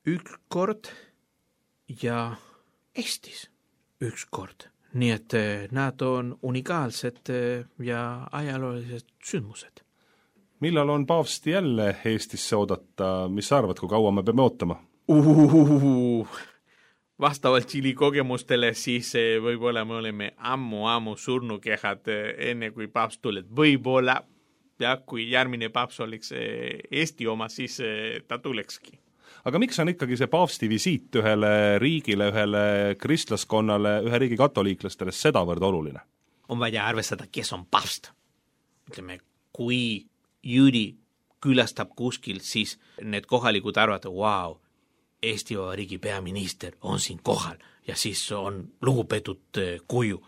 üks kord ja Eestis üks kord. Nii et nad on unikaalsed ja ajaloolised sündmused. Millal on paavsti jälle Eestisse oodata? Mis sa arvad, kui kaua me peame ootama? Uhuhuhu. Vastavalt Tšiili kogemustele siis võib-olla me oleme ammu-ammu surnukehad enne kui paavst tuleb. Võib-olla ja kui järgmine paavst oleks Eesti oma, siis ta tulekski. Aga miks on ikkagi see paavsti visiit ühele riigile, ühele kristlaskonnale, ühe riigi katoliiklastele sedavõrd oluline? On vaja arvestada, kes on paavst. Ütleme, kui Jüri külastab kuskil, siis need kohalikud arvavad, wow, Eesti Vabariigi peaminister on siin kohal ja siis on lugupeetud kuju.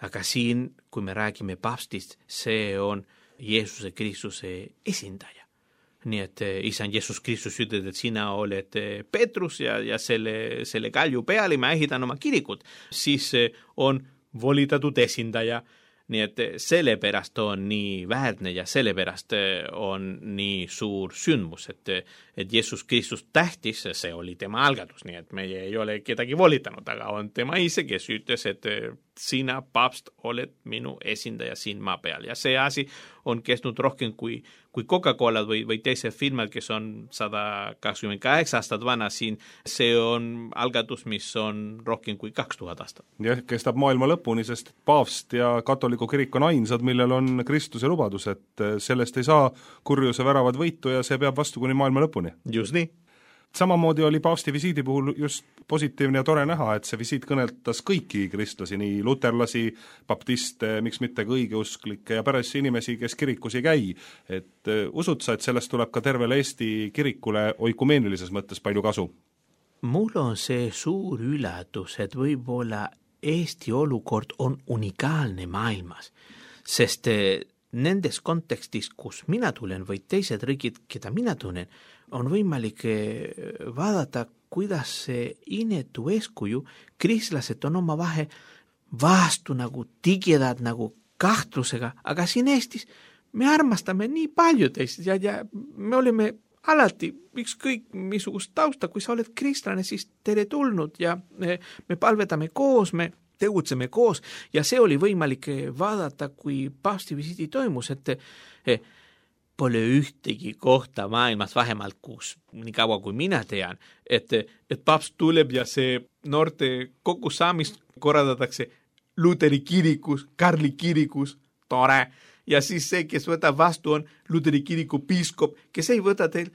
Aga siin, kui me räägime paavstist, see on Jeesuse Kristuse esindaja. Nii et isand Jeesus Kristus ütleb, et sina oled Petrus ja, ja selle, selle kalju peale ma ehitan oma kirikut. Siis on volitatud esindaja. Nii et sellepärast on nii väärne ja sellepärast on nii suur sündmus, et, et Jeesus Kristus tähtis, see oli tema algatus, nii et meie ei ole kedagi volitanud, aga on tema ise, kes ütles, et sina, paavst, oled minu esindaja siin maa peal ja see asi on kestnud rohkem kui, kui Coca-Cola või, või teised firmad, kes on sada kakskümmend kaheksa aastat vana siin, see on algatus, mis on rohkem kui kaks tuhat aastat. Ja kestab maailma lõpuni, sest paavst ja katoliku kirik on ainsad, millel on Kristuse lubadus, et sellest ei saa kurjuse väravad võitu ja see peab vastu kuni maailma lõpuni. Just nii. Samamoodi oli paavsti visiidi puhul just positiivne ja tore näha, et see visiit kõneltas kõiki kristlasi, nii luterlasi, baptiste, miks mitte ka õigeusklikke ja päris inimesi, kes kirikus ei käi. Et usud sa, et sellest tuleb ka tervele Eesti kirikule oikumeenilises mõttes palju kasu? Mul on see suur üllatus, et võib-olla Eesti olukord on unikaalne maailmas, sest nendes kontekstis, kus mina tulen või teised riigid, keda mina tunnen, on võimalik vaadata, kuidas see inetu eeskuju kristlased on oma vahe vastu nagu tigedad nagu kahtlusega, aga siin Eestis me armastame nii palju teist ja, ja me oleme alati ükskõik missugust tausta, kui sa oled kristlane, siis tere tulnud ja me, me palvetame koos, me tegutseme koos ja see oli võimalik vaadata, kui paavsti visiidi toimus, et pole ühtegi kohta maailmas vähemalt, kus nii kaua kui mina tean, et, et paavst tuleb ja see noorte kokkusaamist korraldatakse Luteri kirikus, Karli kirikus, tore, ja siis see, kes võtab vastu, on Luteri kiriku piiskop, kes ei võta teil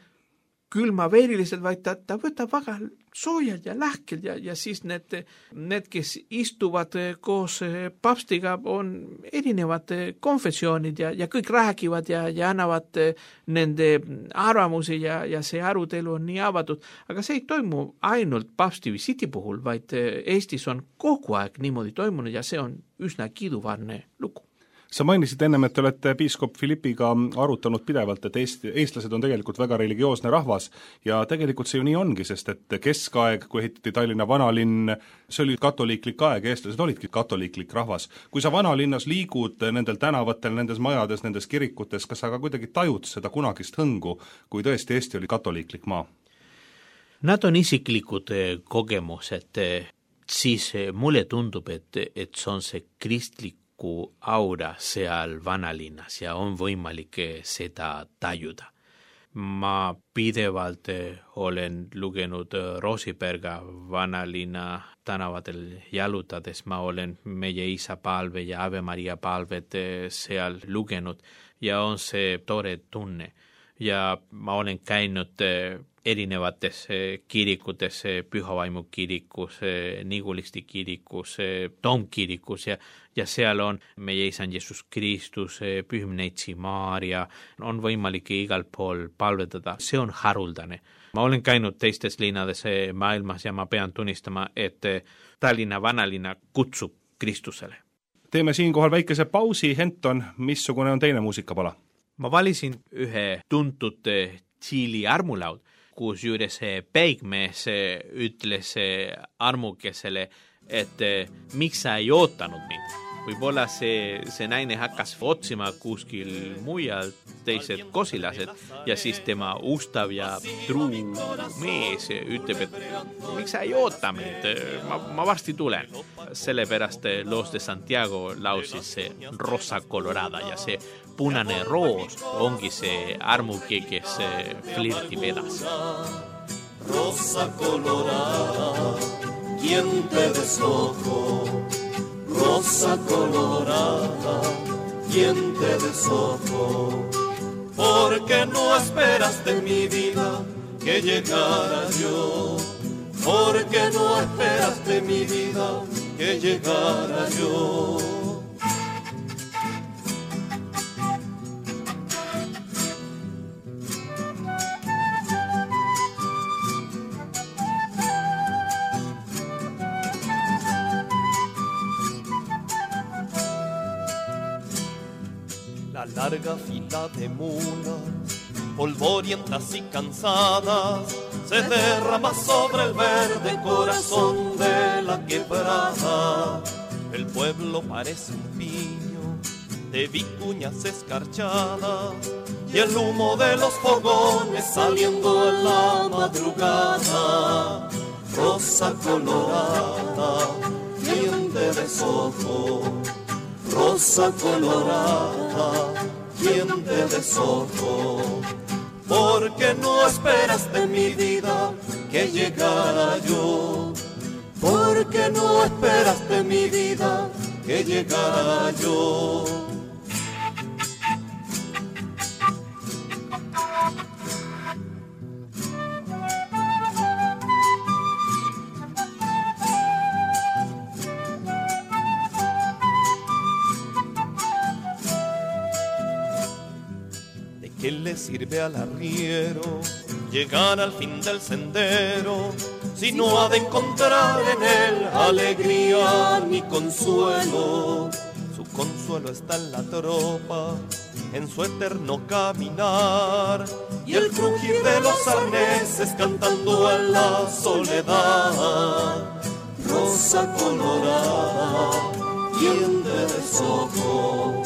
külmaveeriliselt, vaid ta, ta võtab väga soojalt ja lahkelt ja, ja siis need, need, kes istuvad koos paavstiga, on erinevad konfessioonid ja, ja kõik räägivad ja, ja annavad nende arvamusi ja, ja see arutelu on nii avatud. Aga see ei toimu ainult paavsti visiiti puhul, vaid Eestis on kogu aeg niimoodi toimunud ja see on üsna kiiduvarne lugu. Sa mainisid ennem, et te olete piiskop Philippiga arutanud pidevalt, et Eesti, eestlased on tegelikult väga religioosne rahvas ja tegelikult see ju nii ongi, sest et keskaeg, kui ehitati Tallinna vanalinn, see oli katoliiklik aeg, eestlased olidki katoliiklik rahvas. Kui sa vanalinnas liigud nendel tänavatel, nendes majades, nendes kirikutes, kas sa ka kuidagi tajud seda kunagist hõngu, kui tõesti Eesti oli katoliiklik maa? Nad on isiklikud kogemused, siis mulle tundub, et, et see on see kristlik aura seal vanalinnas ja on võimalik seda tajuda. Ma pidevalt olen lugenud Roosiperga vanalinna tänavatel jalutades, ma olen meie isa palve ja Ave Maria palvet seal lugenud ja on see tore tunne. Ja ma olen käinud erinevates kirikutes, Pühavaimu kirikus, Nigulisti kirikus, Tomkirikus ja, ja seal on meie isand Jeesus Kristus, Pühim Neitsi Maaria, on võimalik igal pool palvetada, see on haruldane. Ma olen käinud teistes linnades maailmas ja ma pean tunnistama, et Tallinna vanalinna kutsub Kristusele. Teeme siinkohal väikese pausi, Henton, missugune on teine muusikapala? Ma valisin ühe tuntud Tšiili armulaud, kus juures peigmees ütles armukesele, et miks sa ei ootanud mind. Võib-olla see, see naine hakkas otsima kuskil mujal teised kosilased ja siis tema ustav ja truu mees ütleb, et miks sa ei oota mind, ma, ma varsti tulen. Sellepärast Los de Santiago lausis see Rosa Colorada ja see punane roos ongi see armuke, kes flirti vedas. Rosa Colorada, quien te desojó. Rosa colorada, quien te desojó, porque no esperas de mi vida que llegara yo, porque no esperas de mi vida que llegara yo. La larga fila de mulas, polvorientas y cansadas, se derrama sobre el verde corazón de la quebrada. El pueblo parece un piño de vicuñas escarchadas y el humo de los fogones saliendo en la madrugada. Rosa colorada, quien te deshojó. Rosa colorada, quien te deshojó, porque no esperas de mi vida que llegara yo, porque no esperas de mi vida que llegara yo. ¿Qué le sirve al arriero llegar al fin del sendero si no ha de encontrar en él alegría ni consuelo? Su consuelo está en la tropa, en su eterno caminar y el crujir de los arneses cantando en la soledad. Rosa colorada, quien te deshojó.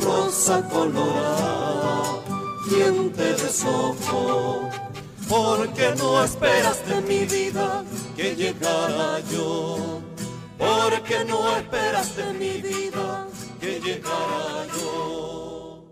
Rosa colorada, quien te deshojó, porque no esperas de mi vida que llegara yo, porque no esperas de mi vida que llegara yo.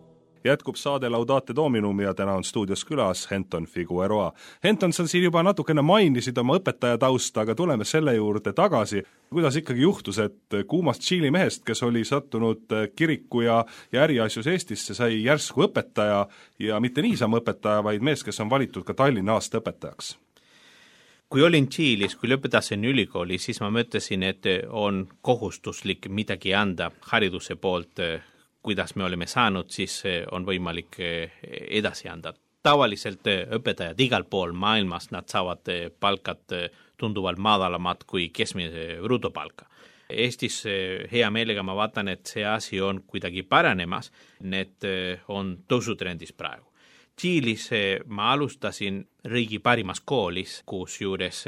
Jätkub saade Laudate Dominum ja täna on stuudios külas Henton Figueroa. Henton, sa siin juba natukene mainisid oma õpetaja tausta, aga tuleme selle juurde tagasi. Kuidas ikkagi juhtus, et kuumast Tšiili mehest, kes oli sattunud kiriku ja, ja äriasjus Eestisse, sai järsku õpetaja ja mitte niisama õpetaja, vaid mees, kes on valitud ka Tallinna aasta õpetajaks? Kui olin Tšiilis, kui lõpetasin ülikooli, siis ma mõtlesin, et on kohustuslik midagi anda hariduse poolt, kuidas me oleme saanud, siis on võimalik edasi anda. Tavaliselt õpetajad igal pool maailmas, nad saavad palkad tunduvalt madalamad kui keskmise brutopalka. Eestis hea meelega ma vaatan, et see asi on kuidagi paranemas, need on tõusutrendis praegu. Tšiilis ma alustasin riigi parimas koolis, kus juures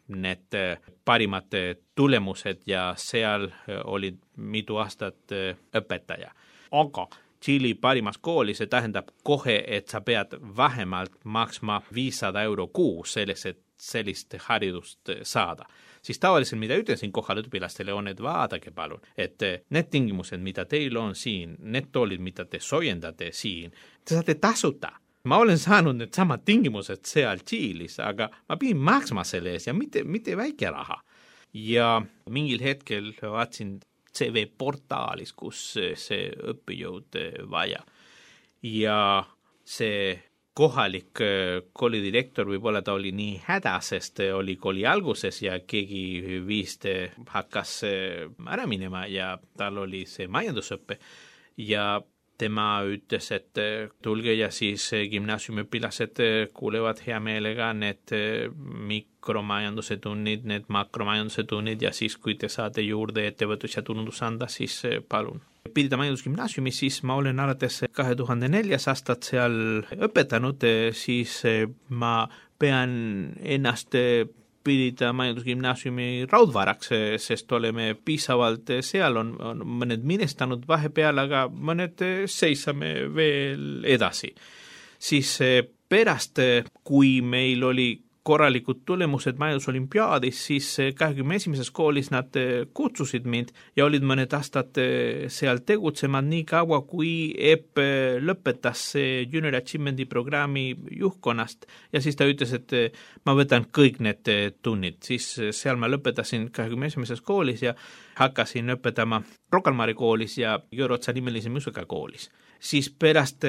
need parimad tulemused ja seal olid mitu aastat õpetaja. Aga Tšiili parimas koolis see tähendab kohe, et sa pead vähemalt maksma viissada euro kuus selleks, et sellist haridust saada. Siis tavaliselt, mida ütlesin kohaleõpilastele, on, et vaadake palun, et need tingimused, mida teil on siin, need toolid, mida te soojendate siin, te saate tasuta. Ma olen saanud need samad tingimused seal Tšiilis, aga ma pidin maksma selle ees ja mitte, mitte väike raha. Ja mingil hetkel vaatsin C V-portaalis, kus see õppejõud vaja. Ja see kohalik koolidirektor võib-olla ta oli nii häda, sest oli kooli alguses ja keegi viist hakkas ära minema ja tal oli see majandusõppe ja tema ütles, et tulge ja siis gümnaasiumiõpilased kuulevad hea meelega need mikromajanduse tunnid, need makromajanduse tunnid ja siis, kui te saate juurde ettevõtlus ja tunnundus anda, siis palun. Pidida majandusgümnaasiumis, siis ma olen alates kahe tuhande neljas aastat seal õpetanud, siis ma pean ennast pidida majandusgümnaasiumi raudvaraks, sest oleme piisavalt seal, on, on mõned minestanud vahepeal, aga mõned seisame veel edasi. Siis pärast, kui meil oli korralikud tulemused majandusolimpiaadis, siis kahekümne esimeses koolis nad kutsusid mind ja olid mõned aastad seal tegutsemad nii kaua, kui E P lõpetas Junior Achievement'i programmi juhtkonnast ja siis ta ütles, et ma võtan kõik need tunnid. Siis seal ma lõpetasin kahekümne esimeses koolis ja hakkasin õpetama Rocca al Mare koolis ja Jõeotsa nimelise muusikakoolis. Siis pärast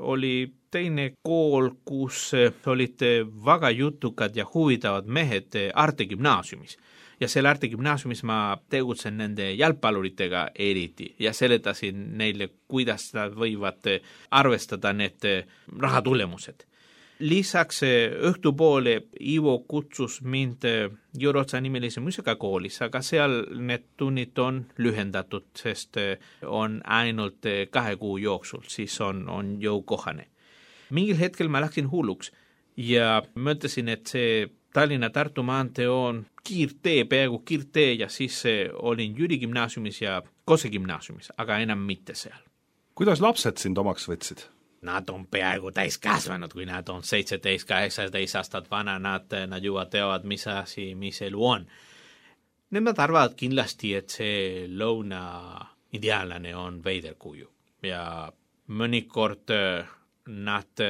oli teine kool, kus olid väga jutukad ja huvitavad mehed Arte gümnaasiumis. Ja selle Arte gümnaasiumis ma tegutsen nende jalgpalluritega eriti ja seletasin neile, kuidas nad võivad arvestada need rahatulemused. Lisaks õhtupoole Ivo kutsus mind Jõeotsa nimelise muusikakoolis, aga seal need tunnid on lühendatud, sest on ainult kahe kuu jooksul, siis on, on jõukohane. Mingil hetkel ma läksin hulluks ja mõtlesin, et see Tallinna-Tartu maantee on kiirtee, peaaegu kiirtee ja siis olin Jüri gümnaasiumis ja Kose gümnaasiumis, aga enam mitte seal. Kuidas lapsed sind omaks võtsid? Nad on peaaegu täiskasvanud, kui nad on seitseteist, kaheksateist aastat vana, nad, nad juba teavad, mis asi, mis elu on. Nemad arvavad kindlasti, et see lõuna ideaalane on veiderkuju ja mõnikord nad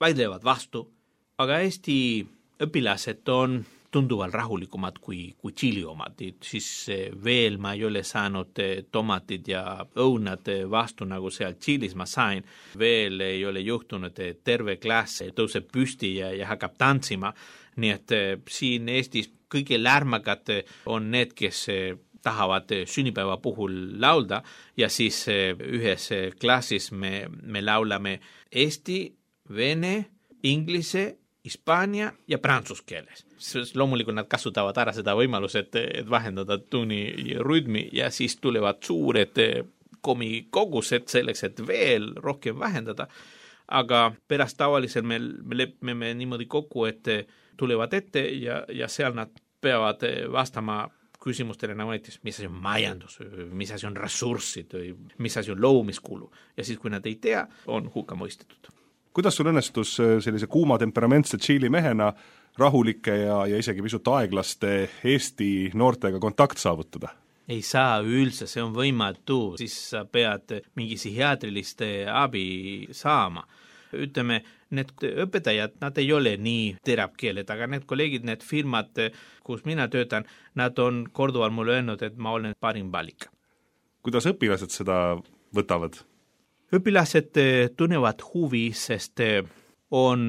vaidlevad vastu, aga Eesti õpilased on tunduvalt rahulikumad kui, kui Tšiili omad, siis veel ma ei ole saanud tomatid ja õunad vastu, nagu seal Tšiilis ma sain. Veel ei ole juhtunud, et terve klass tõuseb püsti ja, ja hakkab tantsima. Nii et siin Eestis kõige lärmakad on need, kes tahavad sünnipäeva puhul laulda ja siis ühes klassis me, me laulame eesti, vene, inglise, hispaania ja prantsus keeles. Loomulikult nad kasutavad ära seda võimalus, et, et vahendada tunni rütmi ja siis tulevad suured komikogused selleks, et veel rohkem vähendada. Aga pärast tavaliselt me, me lepime niimoodi kokku, et tulevad ette ja, ja seal nad peavad vastama küsimustele nagu näiteks, mis asi on majandus, mis asi on ressurssid, mis asi on loomiskulu. Ja siis, kui nad ei tea, on hukka mõistetud. Kuidas sul õnnestus sellise kuuma temperamentse Tšiili mehena rahulike ja, ja isegi pisut aeglaste Eesti noortega kontakt saavutada? Ei saa üldse, see on võimatu, siis sa pead mingi psihiaatriliste abi saama. Ütleme, need õpetajad, nad ei ole nii terapkeeled, aga need kolleegid, need firmad, kus mina töötan, nad on korduvalt mulle öelnud, et ma olen parim valik. Kuidas õpilased seda võtavad? Õpilased tunnevad huvi, sest on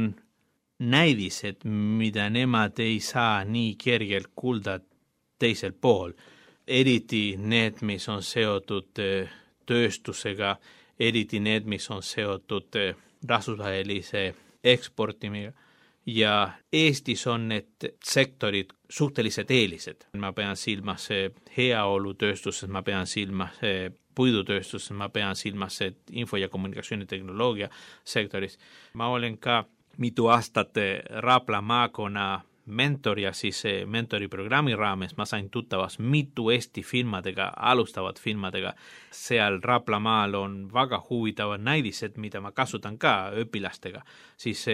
näidised, mida nemad ei saa nii kergelt kuulda teisel pool. Eriti need, mis on seotud tööstusega, eriti need, mis on seotud rahvusvahelise eksportimiga. ja Eestis on need sektorid suhteliselt eelised. Ma pean silmas heaolutööstuses, ma pean silmas puidutööstuses, ma pean silmas info- ja kommunikatsioonitehnoloogia sektoris. Ma olen ka mitu aastat Rapla maakonna mentor ja siis mentori programmi raames ma sain tuttavas mitu Eesti firmadega, alustavad firmadega. Seal Raplamaal on väga huvitavad näidised, mida ma kasutan ka õpilastega. Siis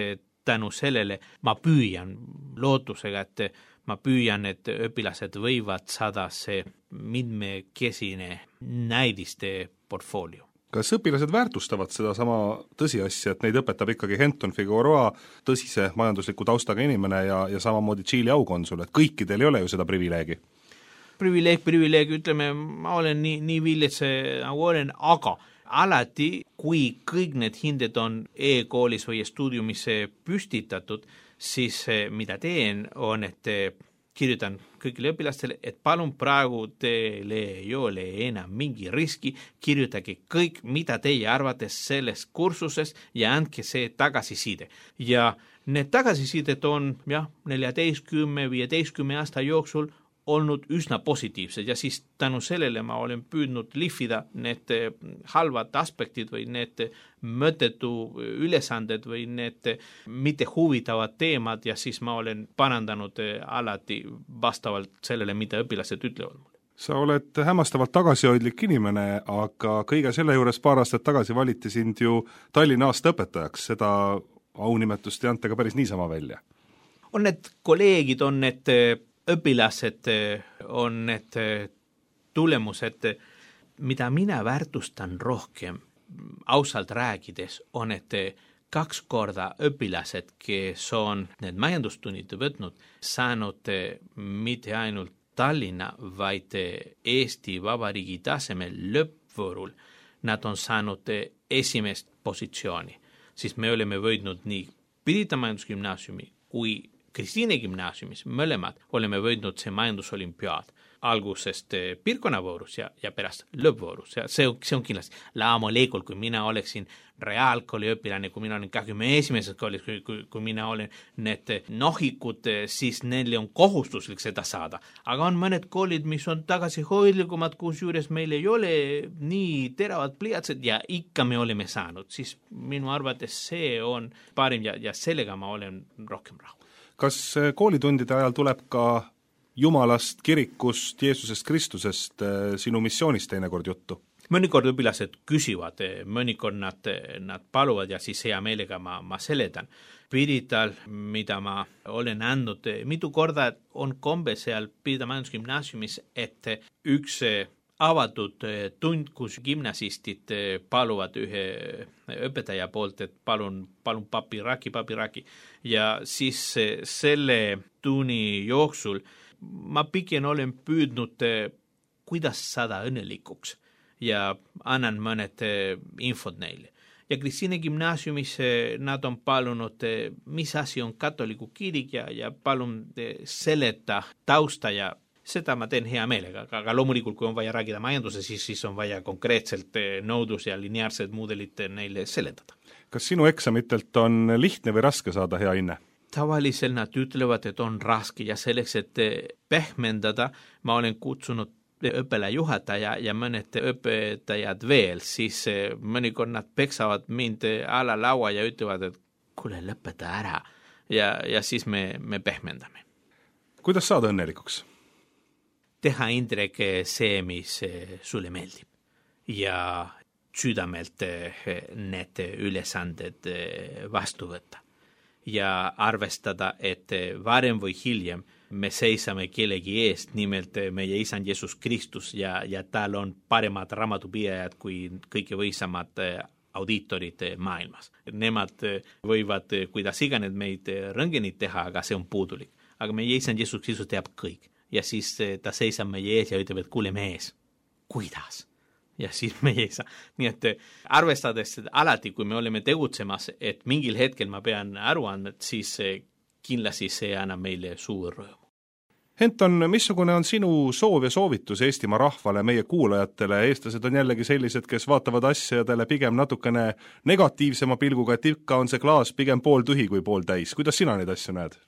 tänu sellele ma püüan lootusega, et ma püüan, et õpilased võivad saada see mitmekesine näidiste portfoolio. Kas õpilased väärtustavad seda sama tõsiasja, et neid õpetab ikkagi Henton Figueroa, tõsise majandusliku taustaga inimene ja, ja samamoodi Tšiili aukonsul, et kõikidel ei ole ju seda privileegi? Privileeg, privileeg, ütleme, ma olen nii, nii villetse nagu olen, aga alati, kui kõik need hinded on e-koolis või stuudiumis püstitatud, siis mida teen on, et kirjutan kõigile õpilastele, et palun praegu teile ei ole enam mingi riski, kirjutage kõik, mida teie arvates selles kursuses ja andke see tagasiside. Ja need tagasisidet on jah, neljateistkümne, viieteistkümne aasta jooksul olnud üsna positiivsed ja siis tänu sellele ma olen püüdnud lihvida need halvad aspektid või need mõttetu ülesanded või need mitte huvitavad teemad ja siis ma olen parandanud alati vastavalt sellele, mida õpilased ütlevad mulle. Sa oled hämmastavalt tagasihoidlik inimene, aga kõige selle juures paar aastat tagasi valiti sind ju Tallinna aasta õpetajaks, seda aunimetust ei anta ka päris niisama välja. On need kolleegid, on need õpilased, on need tulemused, mida mina väärtustan rohkem ausalt rääkides, on et kaks korda õpilased, kes on need majandustunnid võtnud, saanud mitte ainult Tallinna, vaid Eesti Vabariigi tasemel lõppvoorul, nad on saanud esimest positsiooni. Siis me oleme võidnud nii Pirita majandusgümnaasiumi kui Kristiine gümnaasiumis, mõlemad oleme võidnud see majandusolimpiaad algusest piirkonnavoorus ja, ja pärast lõppvoorus. Ja see, see on kindlasti laamulikult, kui mina oleksin reaalkooli õpilane, kui mina olen kahekümne esimeses koolis, kui, kui, kui mina olen need nohikud, siis neile on kohustuslik seda saada. Aga on mõned koolid, mis on tagasihoidlikumad, kus juures meil ei ole nii teravad pliiatsed ja ikka me oleme saanud. Siis minu arvates see on parim ja, ja sellega ma olen rohkem rahul. Kas koolitundide ajal tuleb ka Jumalast, kirikust, Jeesusest Kristusest sinu missioonist teinekord juttu? Mõnikord õpilased küsivad, mõnikord nad, nad paluvad ja siis hea meelega ma, ma seletan. Pirital, mida ma olen andnud, mitu korda on kombe seal Pirita majandusgümnaasiumis, et üks avatud tund, kus gimnasistid paluvad ühe õpetaja poolt, et palun, palun papiraki, papiraki. Ja siis selle tunni jooksul ma pigem olen püüdnud, kuidas saada õnnelikuks ja annan mõned infod neile. Ja Kristiine gümnaasiumis nad on palunud, mis asi on katoliku kirik ja, ja palun seleta tausta ja seda ma teen hea meelega, aga loomulikult, kui on vaja rääkida majanduse, siis, siis on vaja konkreetselt nõudlus ja lineaarsed mudelid neile seletada. Kas sinu eksamitelt on lihtne või raske saada hea hinne? Tavaliselt nad ütlevad, et on raske ja selleks, et pehmendada, ma olen kutsunud õppelajuhataja ja mõned õpetajad veel, siis mõnikord nad peksavad mind ala laua ja ütlevad, et kuule, lõpeta ära ja, ja siis me, me pehmendame. Kuidas saada õnnelikuks? Teha Indrek see, mis sulle meeldib ja südamelt need ülesanded vastu võtta ja arvestada, et varem või hiljem me seisame kellegi eest, nimelt meie isand Jeesus Kristus ja, ja tal on paremad raamatupidajad kui kõige võisamad audiitorid maailmas. Nemad võivad, kuidas iganes meid rõngenid teha, aga see on puudulik. Aga meie isand Jeesus Kristus teab kõik. Ja siis ta seisab meie ees ja ütleb, et kuule mees, kuidas? Ja siis meie ei saa. Nii et arvestades alati, kui me oleme tegutsemas, et mingil hetkel ma pean aru andma, siis kindlasti see annab meile suur rõõmu. Henton, missugune on sinu soov ja soovitus Eestimaa rahvale, meie kuulajatele? Eestlased on jällegi sellised, kes vaatavad asjadele pigem natukene negatiivsema pilguga, et ikka on see klaas pigem pool tühi kui pool täis. Kuidas sina neid asju näed?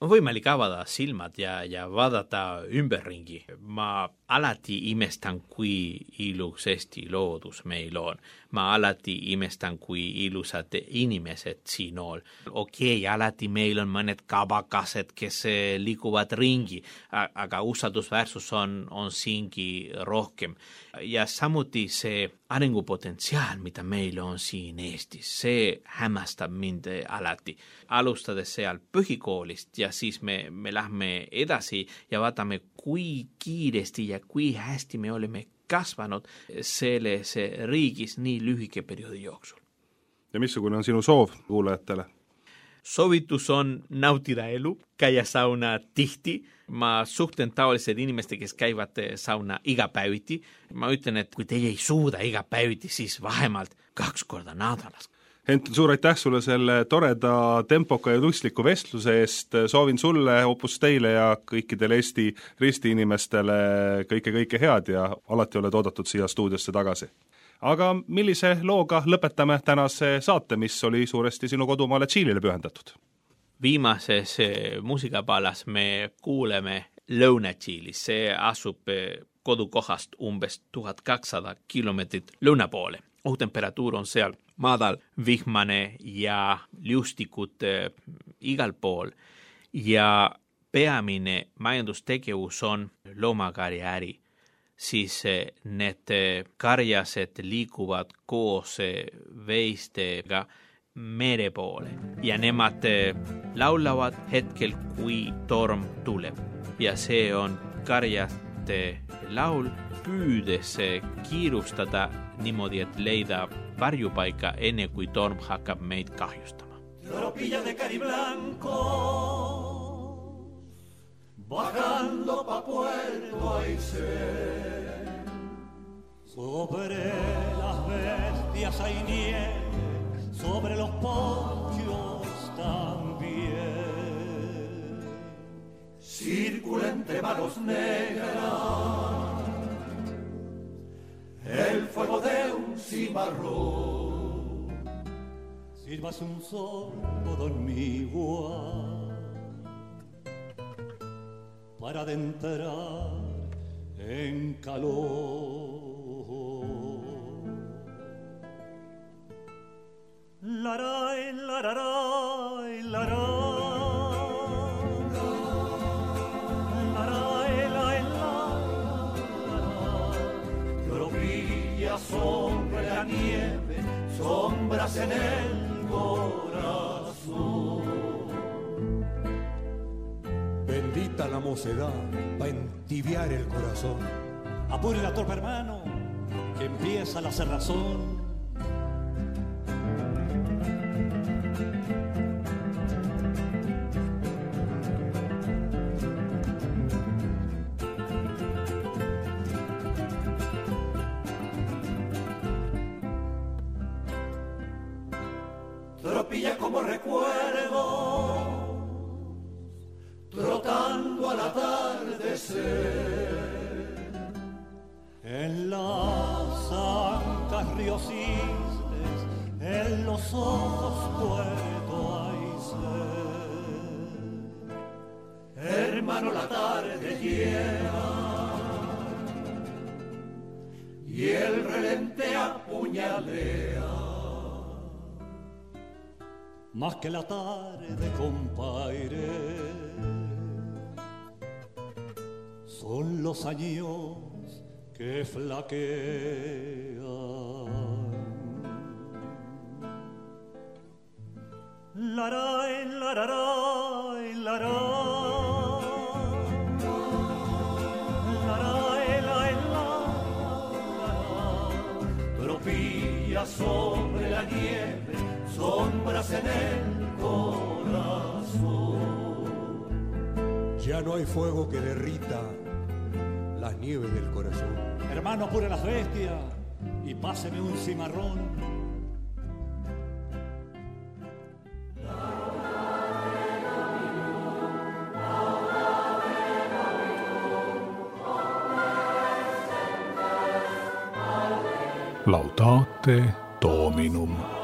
On võimalik avada silmad ja, ja vaadata ümberringi. Ma alati imestan, kui ilus Eesti loodus meil on. Ma alati imestan, kui ilusad inimesed siin on. Okei, okay, alati meil on mõned kabakased, kes liiguvad ringi, aga usaldusväärsus on, on siingi rohkem. Ja samuti see arengupotentsiaal, mida meil on siin Eestis, see hämmastab mind alati. Alustades seal põhikoolist ja siis me, me lähme edasi ja vaatame, kui kiiresti ja kui hästi me oleme kasvanud selles riigis nii lühike perioodi jooksul. Ja missugune on sinu soov kuulajatele? Soovitus on nautida elu, käia sauna tihti. Ma suhtlen taolised inimeste, kes käivad sauna iga päeviti. Ma ütlen, et kui teie ei suuda iga päeviti, siis vähemalt kaks korda nädalas. Henton, suur aitäh sulle selle toreda, tempoka ja lustliku vestluse eest. Soovin sulle, Opus Deile ja kõikidele Eesti ristiinimestele kõike-kõike head ja alati oled oodatud siia stuudiosse tagasi. Aga millise looga lõpetame tänase saate, mis oli suuresti sinu kodumaale Tšiilile pühendatud? Viimases muusikapalas me kuuleme Lõuna-Tšiilis. See asub kodukohast umbes tuhat kakssada kilomeetrit lõuna poole. Õhutemperatuur on seal madal, vihmane ja liustikud äh, igal pool ja peamine majandustegevus on loomakarjaäri. Siis äh, need äh, karjased liiguvad koos äh, veistega mere poole ja nemad äh, laulavad hetkel, kui torm tuleb. Ja see on karjate laul, püüdes äh, kiirustada niimoodi, et leida varjupaika enne kui torm hakkab meid kahjustama. Tropilla de Cariblanco bajando pa Puerto Aysén. Sobre las bestias hay nieve, sobre los ponchos también. Circula entre manos negras el fuego de un cimarrón. Sirvas un sorbo dormigual para adentrar en calor. Laray, lararay, laray. Sobre la nieve, sombras en el corazón. Bendita la mocedad, va a entibiar el corazón. Apure la torpe, hermano, que empieza la cerrazón. Tropilla como recuerdo, trotando al atardecer. En las ancas riocistes, en los ojos Puerto Aysén. Hermano, la tarde llega y el relente apuñalea. Más que la tarde, compadre, son los años que flaquean. Laray, lararay, laray. Laray, laray, laray. Tropilla sobre la nieve, sombras en el corazón. Ya no hay fuego que derrita las nieves del corazón. Hermano, apure las bestias y páseme un cimarrón. Laudate Dominum.